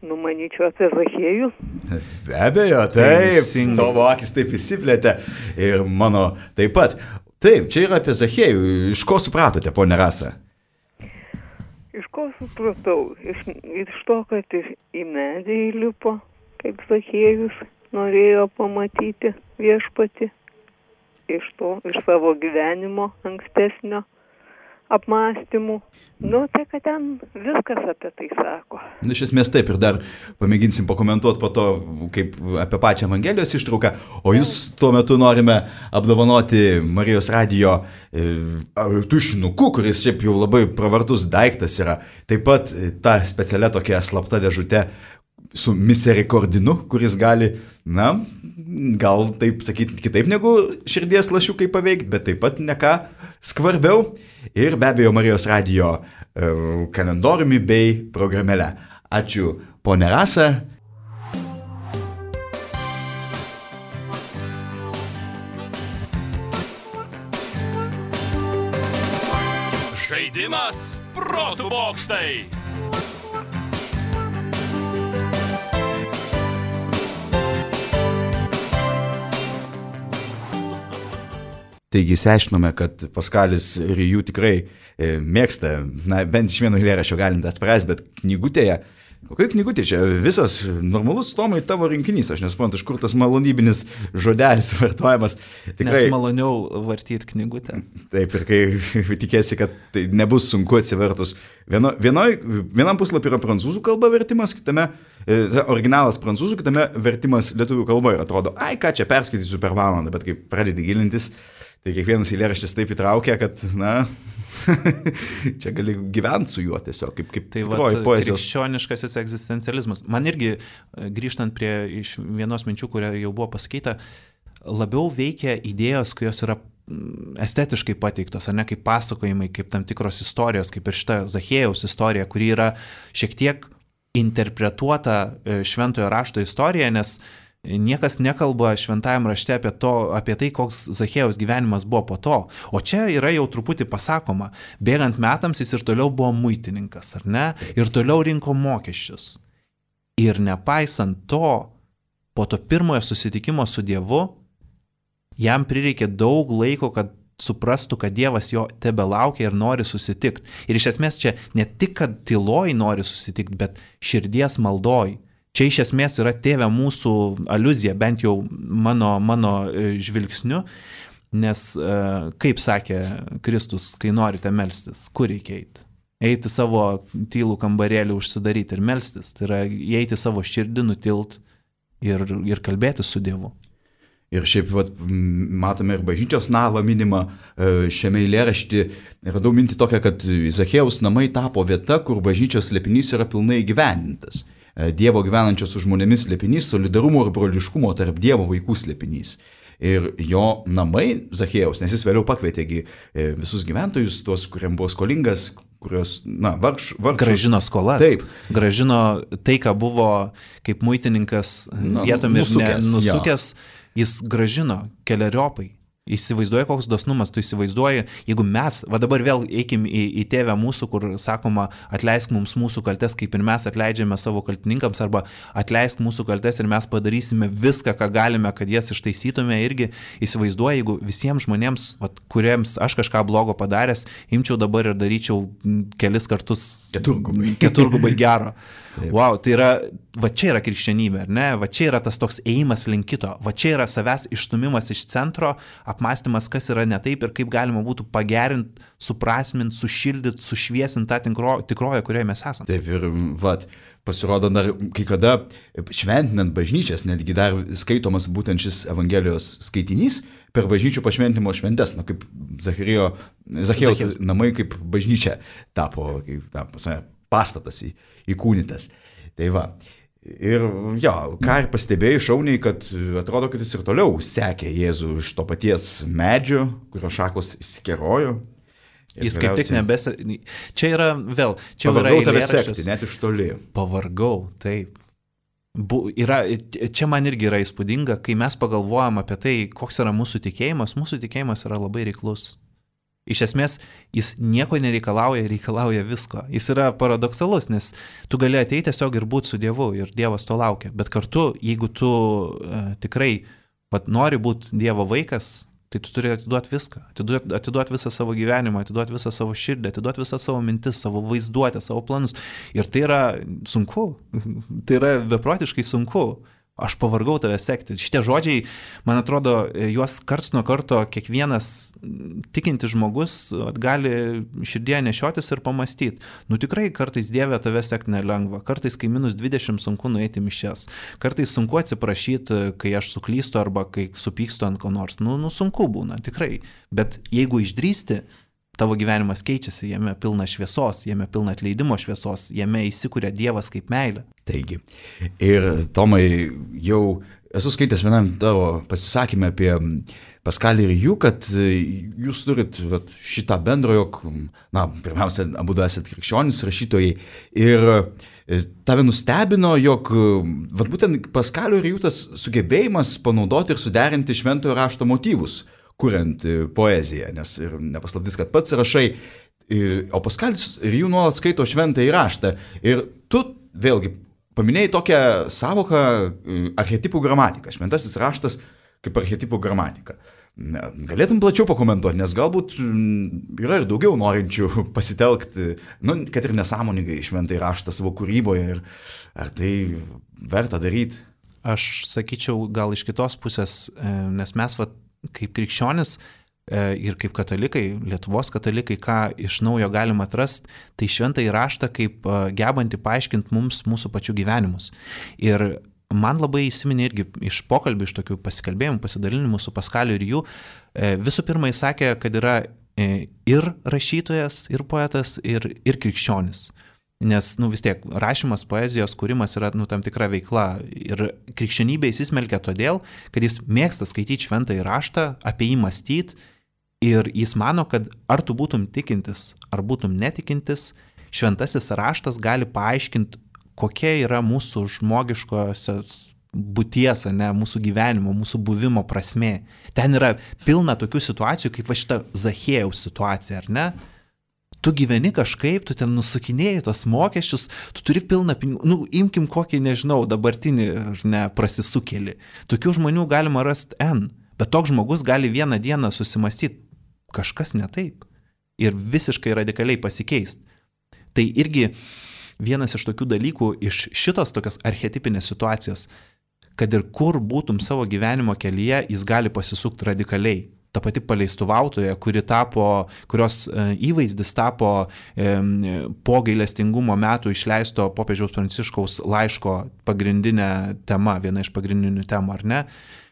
Nu, manyčiau, apie Zachiejų. Be abejo, taip, Teisingai. tavo akis taip įsiplėtė ir mano taip pat. Taip, čia yra apie Zachiejų. Iš ko supratote, ponė Rasa? Iš ko supratau? Iš, iš to, kad iš, į medį įlipo, kaip Zachiejus norėjo pamatyti viešpatį. Iš to, iš savo gyvenimo ankstesnio apmąstymų. Nu, tai kad ten viskas apie tai sako. Iš esmės taip, ir dar pamėginsim pakomentuoti po to, kaip apie pačią Evangelijos ištrauką, o jūs tuo metu norime apdovanoti Marijos radijo e, tušinuku, kuris šiaip jau labai pravartus daiktas yra. Taip pat e, ta specialia tokia slapta dėžutė su misericordinu, kuris gali, na, gal taip sakyti kitaip negu širdies lašiukai paveikti, bet taip pat ne ką skvarbiau. Ir be abejo Marijos radijo e, kalendoriumi bei programėle. Ačiū, ponė Rasa. Žaidimas protų bokštai. Taigi išsiaiškinome, kad Paskalis ir jų tikrai e, mėgsta, na, bent iš vieno eilėraščio galint atpras, bet knygutėje, kokia knygutė čia, visas normalus Tomai tavo rinkinys, aš nesuprantu, iš kur tas malonybinis žodelis vartojamas. Tikrai, Nes maloniau vartyti knygutę. Taip, ir kai tikėsi, kad tai nebus sunku atsivertus. Vieno, vienoj, vienam puslapį yra prancūzų kalba vertimas, kitame, e, originalas prancūzų, kitame vertimas lietuvių kalba ir atrodo, ai ką čia perskaitysiu per valandą, bet kai pradedi gilintis, tai kiekvienas eilėraštis taip įtraukia, kad, na, čia gali gyventi su juo tiesiog, kaip, kaip Tai va, poezijos. krikščioniškasis egzistencializmas. Man irgi, grįžtant prie iš vienos minčių, kuria jau buvo pasakyta, labiau veikia idėjos, kurios yra estetiškai pateiktos, ar ne, kaip pasakojimai, kaip tam tikros istorijos, kaip ir šita Zachiejaus istorija, kuri yra šiek tiek interpretuota šventojo rašto istorija, nes niekas nekalba šventajam rašte apie, to, apie tai, koks Zachiejaus gyvenimas buvo po to. O čia yra jau truputį pasakoma, bėgant metams jis ir toliau buvo muitininkas, ar ne? Ir toliau rinko mokesčius. Ir nepaisant to, po to pirmojo susitikimo su Dievu, jam prireikė daug laiko, kad suprastų, kad Dievas jo tebe laukia ir nori susitikti. Ir iš esmės čia ne tik, kad tyloj nori susitikti, bet širdies maldoj. Čia iš esmės yra tėve mūsų aliuzija, bent jau mano, mano žvilgsniu, nes, kaip sakė Kristus, kai norite melstis, kur reikia eiti? Eiti savo tylų kambarėlį užsidaryti ir melstis, tai yra įeiti savo širdį, nutilt ir, ir kalbėti su Dievu. Ir šiaip vat, matome ir bažnyčios navą minimą šiame eilėrašty. Radau mintį tokią, kad Zachiejaus namai tapo vieta, kur bažnyčios slėpinys yra pilnai įgyvendintas. Dievo gyvenančio su žmonėmis slėpinys, solidarumo ir broliškumo tarp Dievo vaikų slėpinys. Ir jo namai Zachiejaus, nes jis vėliau pakvietėgi visus gyventojus, tuos, kuriam buvo skolingas, kurios, na, vargš, vargšus. Gražino skolas. Taip. Gražino tai, ką buvo kaip muitininkas Na, vietomis nusukęs, ne, nusukęs, jis gražino keleriopai. Įsivaizduoji, koks dosnumas, tu įsivaizduoji, jeigu mes, va dabar vėl eikim į, į tėvę mūsų, kur sakoma, atleisk mums mūsų kaltes, kaip ir mes atleidžiame savo kaltininkams, arba atleisk mūsų kaltes ir mes padarysime viską, ką galime, kad jas ištaisytume. Irgi įsivaizduoji, jeigu visiems žmonėms, va, kuriems aš kažką blogo padaręs, imčiau dabar ir daryčiau kelis kartus keturgubai, keturgubai gero. Wow, tai yra, va čia yra krikščionybė, ar ne? Va čia yra tas toks ėjimas link kito, va čia yra savęs išstumimas iš centro, apmąstymas, kas yra ne taip ir kaip galima būtų pagerinti, suprasminti, sušildyti, sušviesinti tą tikro, tikroją, kurioje mes esame. Taip ir, vat, pasirodo, dar kai kada šventinant bažnyčias, netgi dar skaitomas būtent šis Evangelijos skaitinys per bažnyčių pašventinimo šventes, na, kaip Zachijo, Zachiejaus namai kaip bažnyčia tapo, kaip ta, pastatas į, įkūnytas. Tai va. Ir jo, ką ir pastebėjai šauniai, kad atrodo, kad jis ir toliau sekė Jėzų iš to paties medžio, kurio šakos išsikerojo. Jis kaip tik nebesi... Čia yra vėl... Čia pavargau yra tave eilėraštis. sekti, net iš toli. Pavargau, taip. Bu, yra, čia man irgi yra įspūdinga, kai mes pagalvojam apie tai, koks yra mūsų tikėjimas, mūsų tikėjimas yra labai reiklus. Iš esmės, jis nieko nereikalauja, reikalauja visko. Jis yra paradoksalus, nes tu gali ateiti tiesiog ir būti su Dievu ir Dievas to laukia. Bet kartu, jeigu tu uh, tikrai vat, nori būti Dievo vaikas, tai tu turi atiduoti viską, atiduoti, atiduoti visą savo gyvenimą, atiduoti visą savo širdį, atiduoti visą savo mintis, savo vaizduotę, savo planus. Ir tai yra sunku, tai yra beprotiškai sunku. Aš pavargau tave sekti. Šitie žodžiai, man atrodo, juos karts nuo karto kiekvienas tikintis žmogus gali širdėje nešiotis ir pamastyti. Nu tikrai kartais Dieve tave sekti nelengva, kartais kai minus dvidešimt sunku nueiti mišias, kartais sunku atsiprašyti, kai aš suklystu arba kai supykstu ant ko nors. Nu, nu sunku būna, tikrai. Bet jeigu išdrįsti, tavo gyvenimas keičiasi, jame pilna šviesos, jame pilna atleidimo šviesos, jame įsikuria Dievas kaip meilė. Taigi, ir Tomai, jau esu skaitęs vienam tavo pasisakymę apie Paskalį ir jų, kad jūs turit vat, šitą bendro, jog, na, pirmiausia, abu esat krikščionys rašytojai, ir tave nustebino, jog vat, būtent Paskalio ir jų tas sugebėjimas panaudoti ir suderinti šventojo rašto motyvus, kuriant poeziją, nes ir nepaslaptis, kad pats rašai, o Paskalis ir jų nuolat skaito šventąjį raštą. Ir tu vėlgi paminėjai tokią savoką archetipų gramatika, šventasis raštas kaip archetipų gramatika. Galėtum plačiau pakomentuoti, nes galbūt yra ir daugiau norinčių pasitelkti, nu, kad ir nesąmoningai šventąjį raštą savo kūryboje, ir ar tai verta daryti? Aš sakyčiau gal iš kitos pusės, nes mes vat, kaip krikščionis ir kaip katalikai, Lietuvos katalikai, ką iš naujo galima atrasti, tai šventąjį raštą kaip gebantį paaiškinti mums mūsų pačių gyvenimus. Ir man labai įsiminė irgi iš pokalbių, iš tokių pasikalbėjimų, pasidalinimų su Paskaliu ir jų, visų pirma jis sakė, kad yra ir rašytojas, ir poetas, ir, ir krikščionis. Nes, nu vis tiek, rašymas, poezijos kūrimas yra, nu, tam tikra veikla. Ir krikščionybė įsismelkia todėl, kad jis mėgsta skaityti šventąjį raštą, apie jį mąstyti, ir jis mano, kad ar tu būtum tikintis, ar būtum netikintis, šventasis raštas gali paaiškinti, kokia yra mūsų žmogiškosios būties, ne, mūsų gyvenimo, mūsų buvimo prasmė. Ten yra pilna tokių situacijų, kaip va šita Zachiejaus situacija, ar ne? Tu gyveni kažkaip, tu ten nusukinėjai tos mokesčius, tu turi pilną pinigų, nu, imkim kokį, nežinau, dabartinį, ne, prasisukėlį. Tokių žmonių galima rasti N, bet toks žmogus gali vieną dieną susimastyti, kažkas ne taip, ir visiškai radikaliai pasikeisti. Tai irgi vienas iš tokių dalykų, iš šitos tokios archetipinės situacijos, kad ir kur būtum savo gyvenimo kelyje, jis gali pasisukti radikaliai. Ta pati paleistuvautoja, kuri tapo, kurios įvaizdis tapo e, po gailestingumo metų išleisto popiežiaus Pranciškaus laiško pagrindinė tema, viena iš pagrindinių temų, ar ne?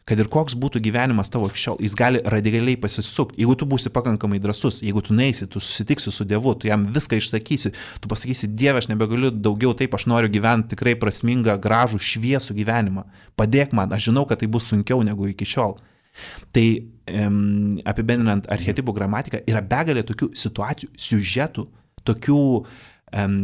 Kad ir koks būtų gyvenimas tavo iki šiol, jis gali radikaliai pasisukti. Jeigu tu būsi pakankamai drąsus, jeigu tu neisi, tu susitiksi su Dievu, tu jam viską išsakysi, tu pasakysi, Dieve, aš nebegaliu daugiau taip, aš noriu gyventi tikrai prasmingą, gražų, šviesų gyvenimą. Padėk man, aš žinau, kad tai bus sunkiau negu iki šiol. Tai um, apibendrinant archetipų gramatiką, yra begalė tokių situacijų, siužetų, tokių um,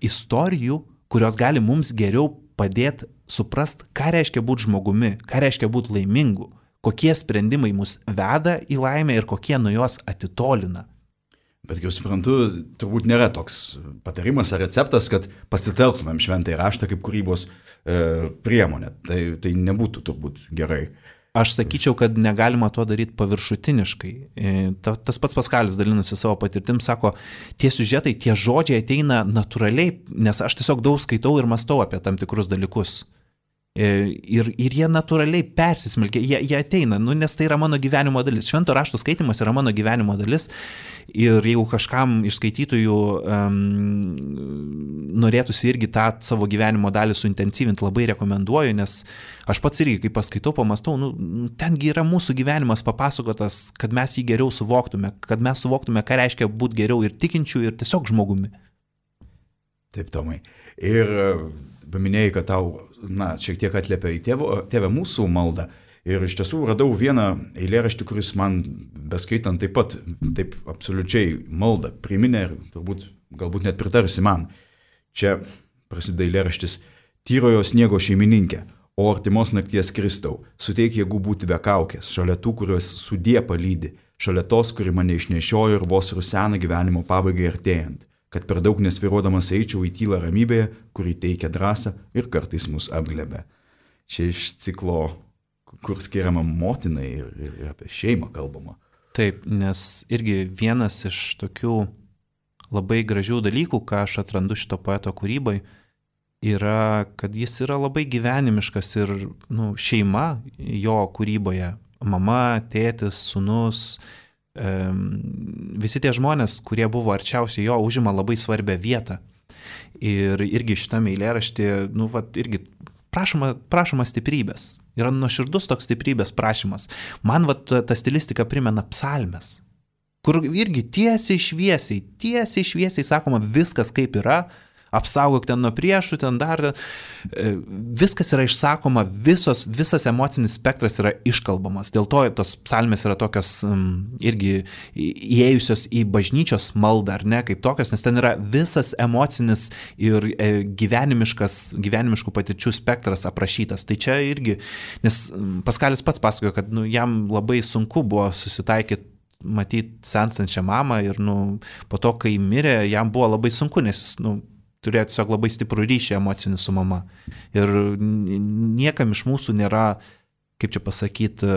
istorijų, kurios gali mums geriau padėti suprast, ką reiškia būti žmogumi, ką reiškia būti laimingu, kokie sprendimai mus veda į laimę ir kokie nuo jos atitolina. Bet kaip suprantu, turbūt nėra toks patarimas ar receptas, kad pasitelktumėm šventąjį raštą kaip kūrybos e, priemonę. Tai, tai nebūtų turbūt gerai. Aš sakyčiau, kad negalima to daryti paviršutiniškai. Ta, tas pats Paskalis dalinusi savo patirtim, sako, tie siužetai, tie žodžiai ateina natūraliai, nes aš tiesiog daug skaitau ir mąstau apie tam tikrus dalykus. Ir, ir jie natūraliai persismelkia, jie, jie ateina, nu, nes tai yra mano gyvenimo dalis. Švento rašto skaitimas yra mano gyvenimo dalis. Ir jeigu kažkam iš skaitytojų um, norėtųsi irgi tą savo gyvenimo dalį suintensyvinti, labai rekomenduoju, nes aš pats irgi, kai paskaitau, pamastau, nu, tengi yra mūsų gyvenimas papasakotas, kad mes jį geriau suvoktume, kad mes suvoktume, ką reiškia būti geriau ir tikinčių, ir tiesiog žmogumi. Taip, Tomai. Ir paminėjai, kad tau, na, šiek tiek atliepia į tėvo, tėvę mūsų maldą. Ir iš tiesų radau vieną eilėraštį, kuris man beskaitant taip pat, taip absoliučiai maldą priminė ir turbūt galbūt net pritarsi man. Čia prasideda eilėraštis: tyrojo sniego šeimininkė, o artimos nakties Kristau, suteik jėgų būti be kaukės, šalia tų, kurios sudie palydi, šalia tos, kuri mane išnešiojo ir vos rusena gyvenimo pabaigai artėjant, kad per daug nesviruodamas eičiau į tylą ramybėje, kuri teikia drąsą ir kartais mus apglebė. Čia iš ciklo, kur skiriama motinai ir, ir apie šeimą kalbama. Taip, nes irgi vienas iš tokių labai gražių dalykų, ką aš atrandu šito poeto kūrybai, yra, kad jis yra labai gyvenimiškas ir nu, šeima jo kūryboje. Mama, tėtis, sūnus, e, visi tie žmonės, kurie buvo arčiausiai jo, užima labai svarbią vietą. Ir irgi šitame eilėraštyje, nu, vat, irgi prašoma, prašoma stiprybės. Yra nuoširdus toks stiprybės prašymas. Man vat, ta stilistika primena psalmes, kur irgi tiesiai šviesiai, tiesiai šviesiai sakoma viskas kaip yra, apsaugok ten nuo priešų, ten dar, viskas yra išsakoma, visos, visas emocinis spektras yra iškalbamas. Dėl to tos psalmės yra tokios um, irgi įėjusios į bažnyčios maldą, ar ne, kaip tokios, nes ten yra visas emocinis ir e, gyvenimiškas, gyvenimiškų patirčių spektras aprašytas. Tai čia irgi, nes Paskalis pats pasakojo, kad nu, jam labai sunku buvo susitaikyti matyti senstančią mamą ir nu, po to, kai mirė, jam buvo labai sunku, nes jis nu, turėjo tiesiog labai stiprų ryšį emocinį su mama. Ir niekam iš mūsų nėra, kaip čia pasakyti,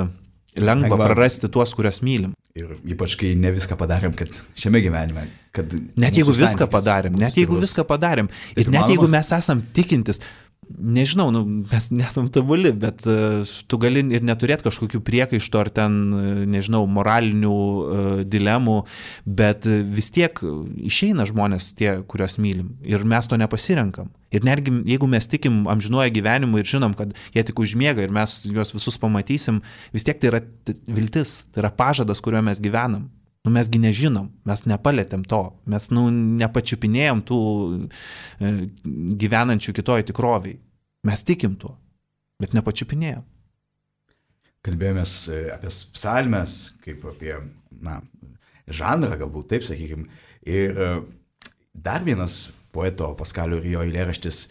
lengva, lengva prarasti tuos, kuriuos mylim. Ir ypač, kai ne viską padarėm, kad šiame gyvenime, kad... Net jeigu viską padarėm, net jeigu viską padarėm, ir net jeigu mes esam tikintis, nežinau, nu, mes nesam tobuli, bet uh, tu gali ir neturėti kažkokių priekaištų ar ten, uh, nežinau, moralinių uh, dilemų, bet uh, vis tiek išeina žmonės tie, kuriuos mylim ir mes to nepasirenkam. Ir netgi jeigu mes tikim amžinuoju gyvenimu ir žinom, kad jie tik užmiega ir mes juos visus pamatysim, vis tiek tai yra viltis, tai yra pažadas, kuriuo mes gyvenam. Nu, mesgi nežinom, mes nepalėtėm to, mes nu, nepačiupinėjom tų e, gyvenančių kitoj tikroviai. Mes tikim tuo, bet nepačiupinėjom. Kalbėjomės apie psalmes, kaip apie na, žanrą, galbūt taip sakykime. Ir dar vienas poeto Paskalio ir jo eilėraštis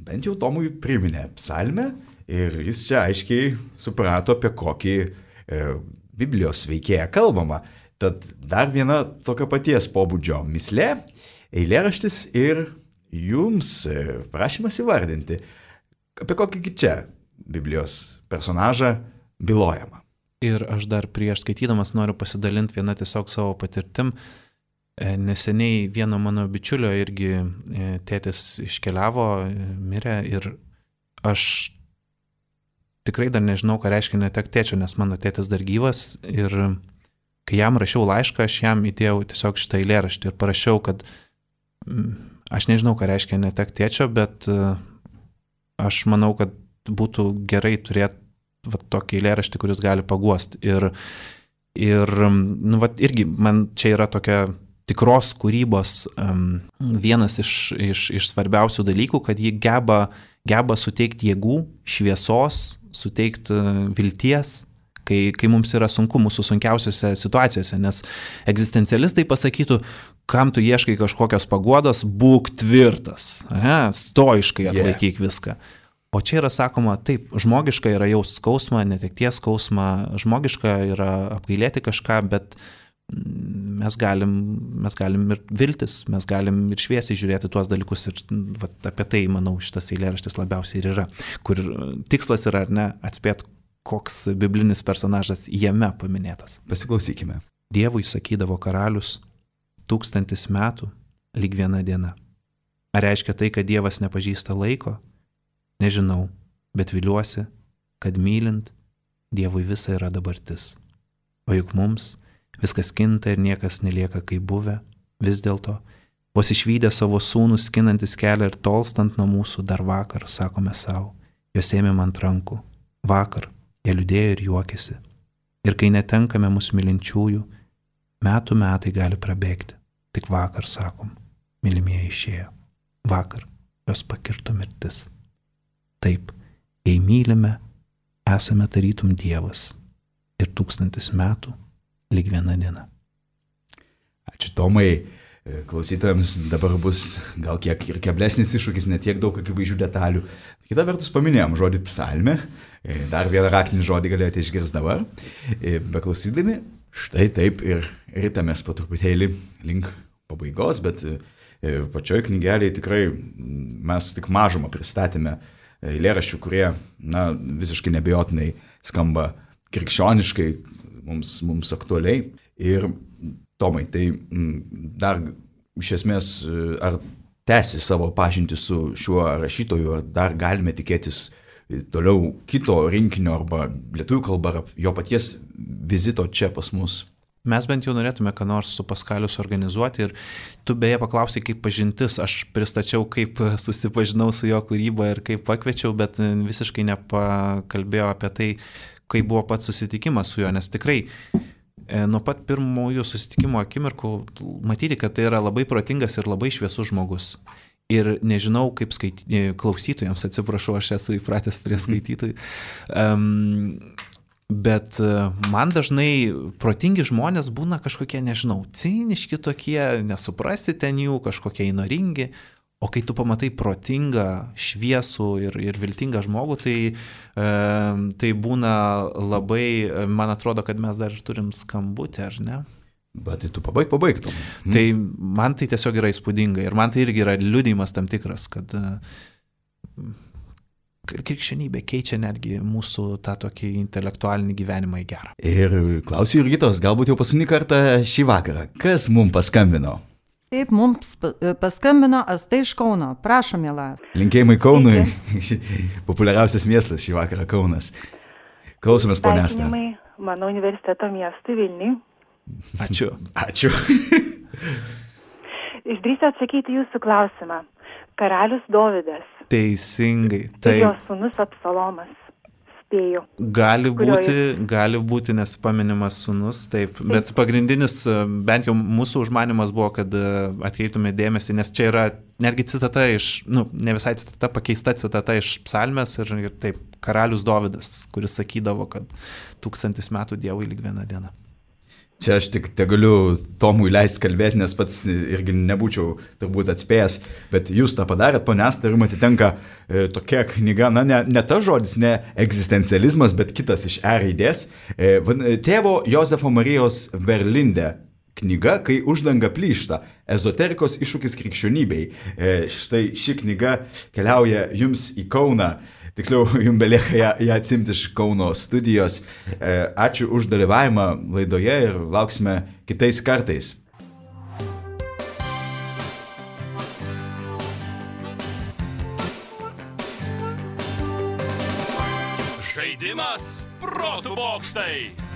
bent jau Tomui priminė psalmę ir jis čia aiškiai suprato, apie kokį e, Biblijos veikėją kalbama. Tad dar viena tokio paties pobūdžio mislė, eilėraštis ir jums prašymas įvardinti, apie kokį čia Biblijos personažą bylojama. Ir aš dar prieš skaitydamas noriu pasidalinti vieną tiesiog savo patirtim. Neseniai vieno mano bičiulio irgi tėtis iškeliavo, mirė ir aš tikrai dar nežinau, ką reiškia netekti tėčio, nes mano tėtis dar gyvas ir kai jam rašiau laišką, aš jam įdėjau tiesiog šitą eilėraštį ir parašiau, kad aš nežinau, ką reiškia netekti tėčio, bet aš manau, kad būtų gerai turėti va, tokį eilėraštį, kuris gali paguosti. Ir, ir nu, va, irgi man čia yra tokia tikros kūrybos um, vienas iš, iš, iš svarbiausių dalykų, kad ji geba, geba suteikti jėgų, šviesos, suteikti vilties, Kai, kai mums yra sunku mūsų sunkiausiose situacijose, nes egzistencialistai pasakytų, kam tu ieškai kažkokios paguodos, būk tvirtas, aha, stoiškai atlaikyk yeah. viską. O čia yra sakoma, taip, žmogiška yra jaust skausmą, netekties skausmą, žmogiška yra apgailėti kažką, bet mes galim, mes galim ir viltis, mes galim ir šviesiai žiūrėti tuos dalykus ir va, apie tai, manau, šitas eilėraštis labiausiai ir yra, kur tikslas yra, ar ne, atspėti, koks biblinis personažas jame paminėtas. Pasiklausykime. Dievui sakydavo karalius, tūkstantis metų, lyg viena diena. Ar reiškia tai, kad Dievas nepažįsta laiko? Nežinau, bet viliuosi, kad mylint, Dievui visa yra dabartis. O juk mums viskas kinta ir niekas nelieka kaip buvę, vis dėlto, vos išvydę savo sūnų skinantis kelią ir tolstant nuo mūsų dar vakar, sakome savo, jos ėmėm ant rankų, vakar, jie liūdėjo ir juokėsi. Ir kai netenkame mūsų mylinčiųjų, metų metai gali prabėgti. Tik vakar, sakom, mylimieji išėjo. Vakar jos pakirto mirtis. Taip, jei mylime, esame tarytum Dievas. Ir tūkstantis metų lyg viena diena. Ačiū Tomai. Klausytojams dabar bus gal kiek ir keblesnis iššūkis, ne tiek daug akivaizdžių detalių. Kita vertus paminėjom žodį psalmė, dar vieną raktinį žodį galėjote išgirsti dabar, beklausydami. Štai taip ir ritamės po truputėlį link pabaigos, bet pačioj knygelėje tikrai mes tik mažumą pristatėme eilėraščių, kurie, na, visiškai nebejotinai skamba krikščioniškai, mums, mums aktualiai. Ir Tomai, tai dar iš esmės, ar tęsi savo pažintį su šiuo rašytoju, ar dar galime tikėtis toliau kito rinkinio arba lietuvių kalba, ar jo paties vizito čia pas mus? Mes bent jau norėtume, ką nors su Paskaliu suorganizuoti ir tu beje paklausai, kaip pažintis, aš pristačiau, kaip susipažinau su jo kūryba ir kaip pakviečiau, bet visiškai nepakalbėjau apie tai, kaip buvo pats susitikimas su juo, nes tikrai nuo pat pirmųjų susitikimo akimirkų matyti, kad tai yra labai protingas ir labai šviesus žmogus. Ir nežinau, kaip skaity... klausytojams, atsiprašau, aš esu įpratęs prie skaitytojų, um, bet man dažnai protingi žmonės būna kažkokie, nežinau, ciniški tokie, nesuprasi ten jų, kažkokie įnoringi, o kai tu pamatai protingą, šviesų ir, ir viltingą žmogų, tai, um, tai būna labai, man atrodo, kad mes dar turim skambutį, ar ne? Bet tai tu pabaig, pabaigtum. Hmm. Tai man tai tiesiog yra įspūdinga ir man tai irgi yra liudijimas tam tikras, kad krikščionybė keičia netgi mūsų tą tokį intelektualinį gyvenimą į gerą. Ir klausiu Jurgitos, galbūt jau paskutinį kartą šį vakarą, kas mums paskambino? Taip, mums paskambino Asta iš Kauno. Prašom, miela. Linkėjimai Kaunui, populiariausias miestas šį vakarą Kaunas. Klausomės, ponia Asta. Mano universiteto miestui Vilniui. Ačiū. Ačiū. Išdrįsiu atsakyti jūsų klausimą. Karalius Dovydas. Teisingai. Tai jo sūnus Absalomas. Spėju. Gali būti, jis... gali būti, nes paminimas sūnus, taip. taip. Bet pagrindinis, bent jau mūsų užmanimas buvo, kad atkreiptume dėmesį, nes čia yra netgi citata iš, nu, ne visai citata, pakeista citata iš psalmės ir, ir taip, karalius Dovydas, kuris sakydavo, kad tūkstantis metų Dievui lyg viena diena. Čia aš tik te galiu Tomui leisti kalbėti, nes pats irgi nebūčiau turbūt atspėjęs, bet jūs tą padarėt, ponia Asta, ir jums atitenka e, tokia knyga, na ne, ne ta žodis, ne egzistencializmas, bet kitas iš E raidės, e, tėvo Jozefo Marijos Verlinde knyga, kai uždanga plyšta, ezoterikos iššūkis krikščionybei. E, štai ši knyga keliauja jums į Kauną. Tiksliau, jums belieka ją, ją atsimti iš Kauno studijos. E, ačiū už dalyvavimą laidoje ir lauksime kitais kartais. Žaidimas protų bokštai.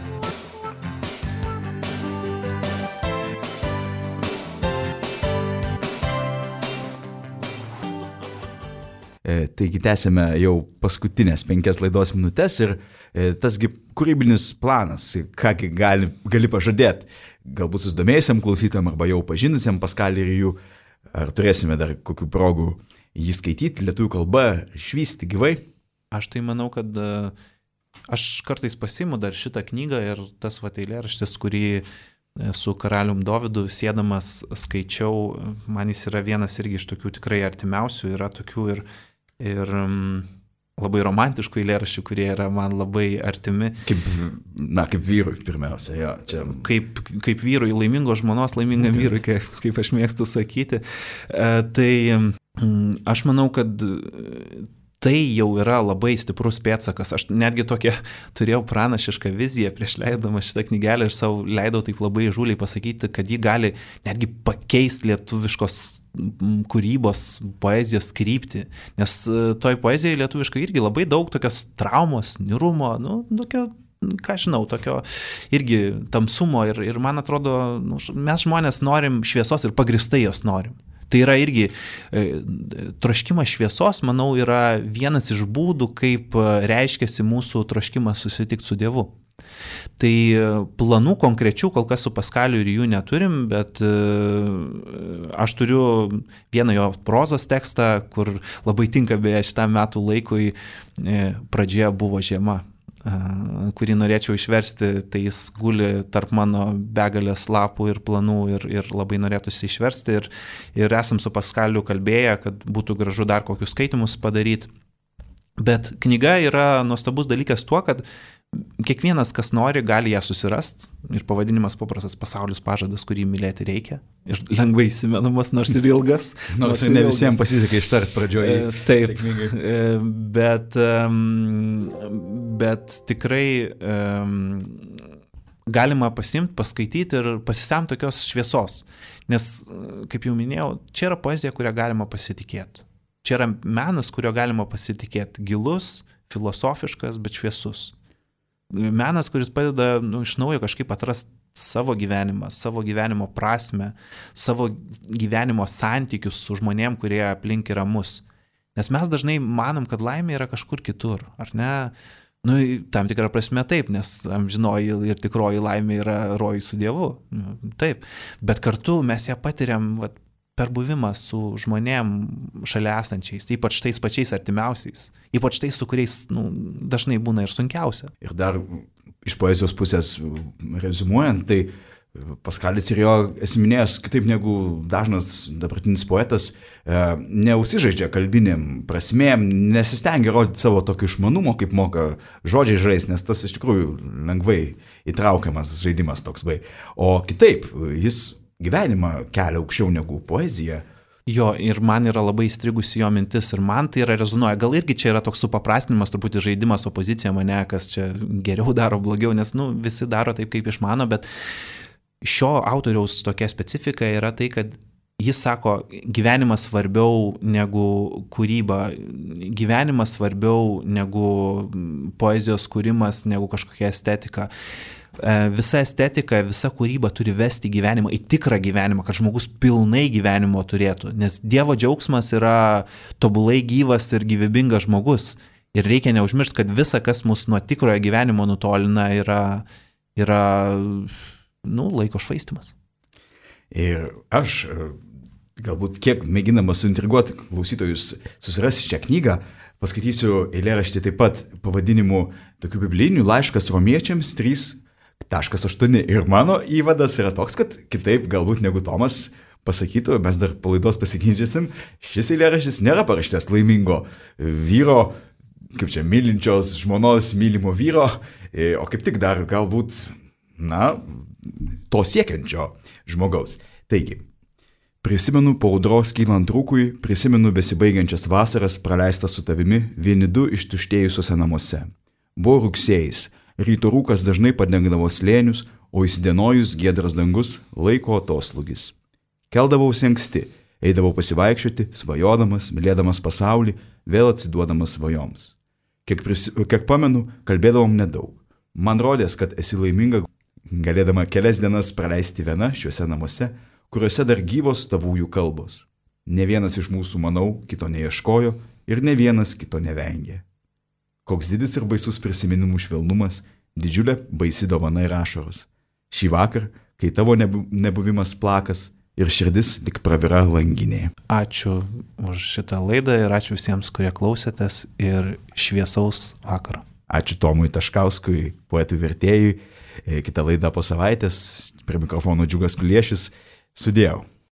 E, taigi tęsime jau paskutinės penkias laidos minutės ir e, tasgi kūrybinis planas, kągi gali, gali pažadėti, galbūt susidomėjusiam klausytojam arba jau pažinusiam Paskalį ir jų, ar turėsime dar kokių progų jį skaityti lietuvių kalba, švysti gyvai? Aš tai manau, kad aš kartais pasiimu dar šitą knygą ir tas vat eilėraštis, kurį su karalium Dovydu sėdamas skaičiau, man jis yra vienas irgi iš tokių tikrai artimiausių, yra tokių ir ir um, labai romantiškų eilėraščių, kurie yra man labai artimi. Kaip, na, kaip vyrui pirmiausia, jo. Čia... Kaip, kaip vyrui, laimingos žmonos, laimingam vyrui, kaip, kaip aš mėgstu sakyti. Uh, tai um, aš manau, kad tai jau yra labai stiprus pėdsakas. Aš netgi tokią turėjau pranašišką viziją prieš leidamą šitą knygelę ir savo leidau taip labai žūliai pasakyti, kad ji gali netgi pakeisti lietuviškos kūrybos, poezijos kryptį. Nes toj poezijoje lietuviškai irgi labai daug tokios traumos, nirumo, nu, tokio, ką žinau, tokio irgi tamsumo ir, ir man atrodo, nu, mes žmonės norim šviesos ir pagristai jos norim. Tai yra irgi e, troškimas šviesos, manau, yra vienas iš būdų, kaip reiškiasi mūsų troškimas susitikti su Dievu. Tai planų konkrečių kol kas su Paskaliu ir jų neturim, bet e, aš turiu vieną jo prozos tekstą, kur labai tinka beje šitam metų laikui, e, pradžioje buvo žiema, kurį norėčiau išversti, tai jis guli tarp mano begalės lapų ir planų ir, ir labai norėtųsi išversti ir, ir esam su Paskaliu kalbėję, kad būtų gražu dar kokius skaitimus padaryti. Bet knyga yra nuostabus dalykas tuo, kad kiekvienas, kas nori, gali ją susirasti. Ir pavadinimas paprastas Pasaulis pažadas, kurį mylėti reikia. Ir lengvai įsimenamas, nors ir ilgas. Nors, nors ir ne ilgas. Visiems pasisekė ištart pradžioje. Taip, bet, bet tikrai galima pasimti, paskaityti ir pasisemti tokios šviesos. Nes, kaip jau minėjau, čia yra poezija, kurią galima pasitikėti. Čia yra menas, kurio galima pasitikėti. Gilus, filosofiškas, bet šviesus. Menas, kuris padeda nu, iš naujo kažkaip atrasti savo gyvenimą, savo gyvenimo prasme, savo gyvenimo santykius su žmonėm, kurie aplink yra mus. Nes mes dažnai manom, kad laimė yra kažkur kitur, ar ne? Nu, tam tikrą prasme taip, nes amžinoji ir tikroji laimė yra rojus su Dievu. Taip, bet kartu mes ją patiriam vat, per buvimą su žmonėm šalia esančiais, ypač tais pačiais artimiausiais, ypač tais, su kuriais nu, dažnai būna ir sunkiausia. Ir dar iš poezijos pusės rezumuojant, tai Paskalis ir jo esminės, kitaip negu dažnas dabartinis poetas, neusižaidžia kalbinėm prasmėm, nesistengia rodyti savo tokio išmanumo, kaip moka žodžiai žais, nes tas iš tikrųjų lengvai įtraukiamas žaidimas toks vai. O kitaip, jis gyvenimą kelia aukščiau negu poezija. Jo, ir man yra labai įstrigusi jo mintis ir man tai yra rezonuoja. Gal irgi čia yra toks supaprastinimas, truputį žaidimas opozicija mane, kas čia geriau daro, blogiau, nes nu, visi daro taip, kaip išmano, bet šio autoriaus tokia specifika yra tai, kad jis sako, gyvenimas svarbiau negu kūryba, gyvenimas svarbiau negu poezijos kūrimas, negu kažkokia estetika. Visa estetika, visa kūryba turi vesti gyvenimą į tikrą gyvenimą, kad žmogus pilnai gyvenimo turėtų. Nes Dievo džiaugsmas yra tobulai gyvas ir gyvybingas žmogus. Ir reikia neužmiršti, kad visa, kas mus nuo tikrojo gyvenimo nutolina, yra, yra nu, laiko švaistimas. Ir aš, galbūt kiek mėginamas suintriguoti klausytojus susirasti šią knygą, paskaitysiu eilėraštį taip pat pavadinimu tokių biblinių laiškas romiečiams trys taškas aštuoni. Ir mano įvadas yra toks, kad kitaip galbūt negu Tomas pasakytų, mes dar palaidos pasiginčysim, šis eilėraštis nėra parašytas laimingo vyro, kaip čia, mylinčios žmonos mylimo vyro, o kaip tik dar galbūt, na, to siekiančio žmogaus. Taigi, prisimenu po audros kylant rūkui, prisimenu besibaigiančias vasaras praleistas su tavimi vieni du ištuštėjusiuose namuose. Buvo rugsėjais, ryto rūkas dažnai padengdavo slėnius, o įsidienojus giedras dangus laiko atoslūgis. Keldavausi anksti, eidavau pasivaikščioti, svajodamas, mylėdamas pasaulį, vėl atsiduodamas svajoms. Kiek, prisi, kiek pamenu, kalbėdavom nedaug. Man rodės, kad esi laiminga, galėdama kelias dienas praleisti viena šiuose namuose, kuriuose dar gyvos tavųjų kalbos. Ne vienas iš mūsų, manau, kito neieškojo ir ne vienas kito nevengė. Koks didis ir baisus prisiminimų švelnumas, didžiulė baisi dovana ir ašaros. Šį vakar, kai tavo nebuvimas plakas ir širdis lik pravira langinė. Ačiū už šitą laidą ir ačiū visiems, kurie klausėtės ir šviesaus vakaro. Ačiū Tomui Taškauskui, poetui vertėjui. Kita laida po savaitės, prie mikrofono Džiugas Kuliešius. Sudėjau.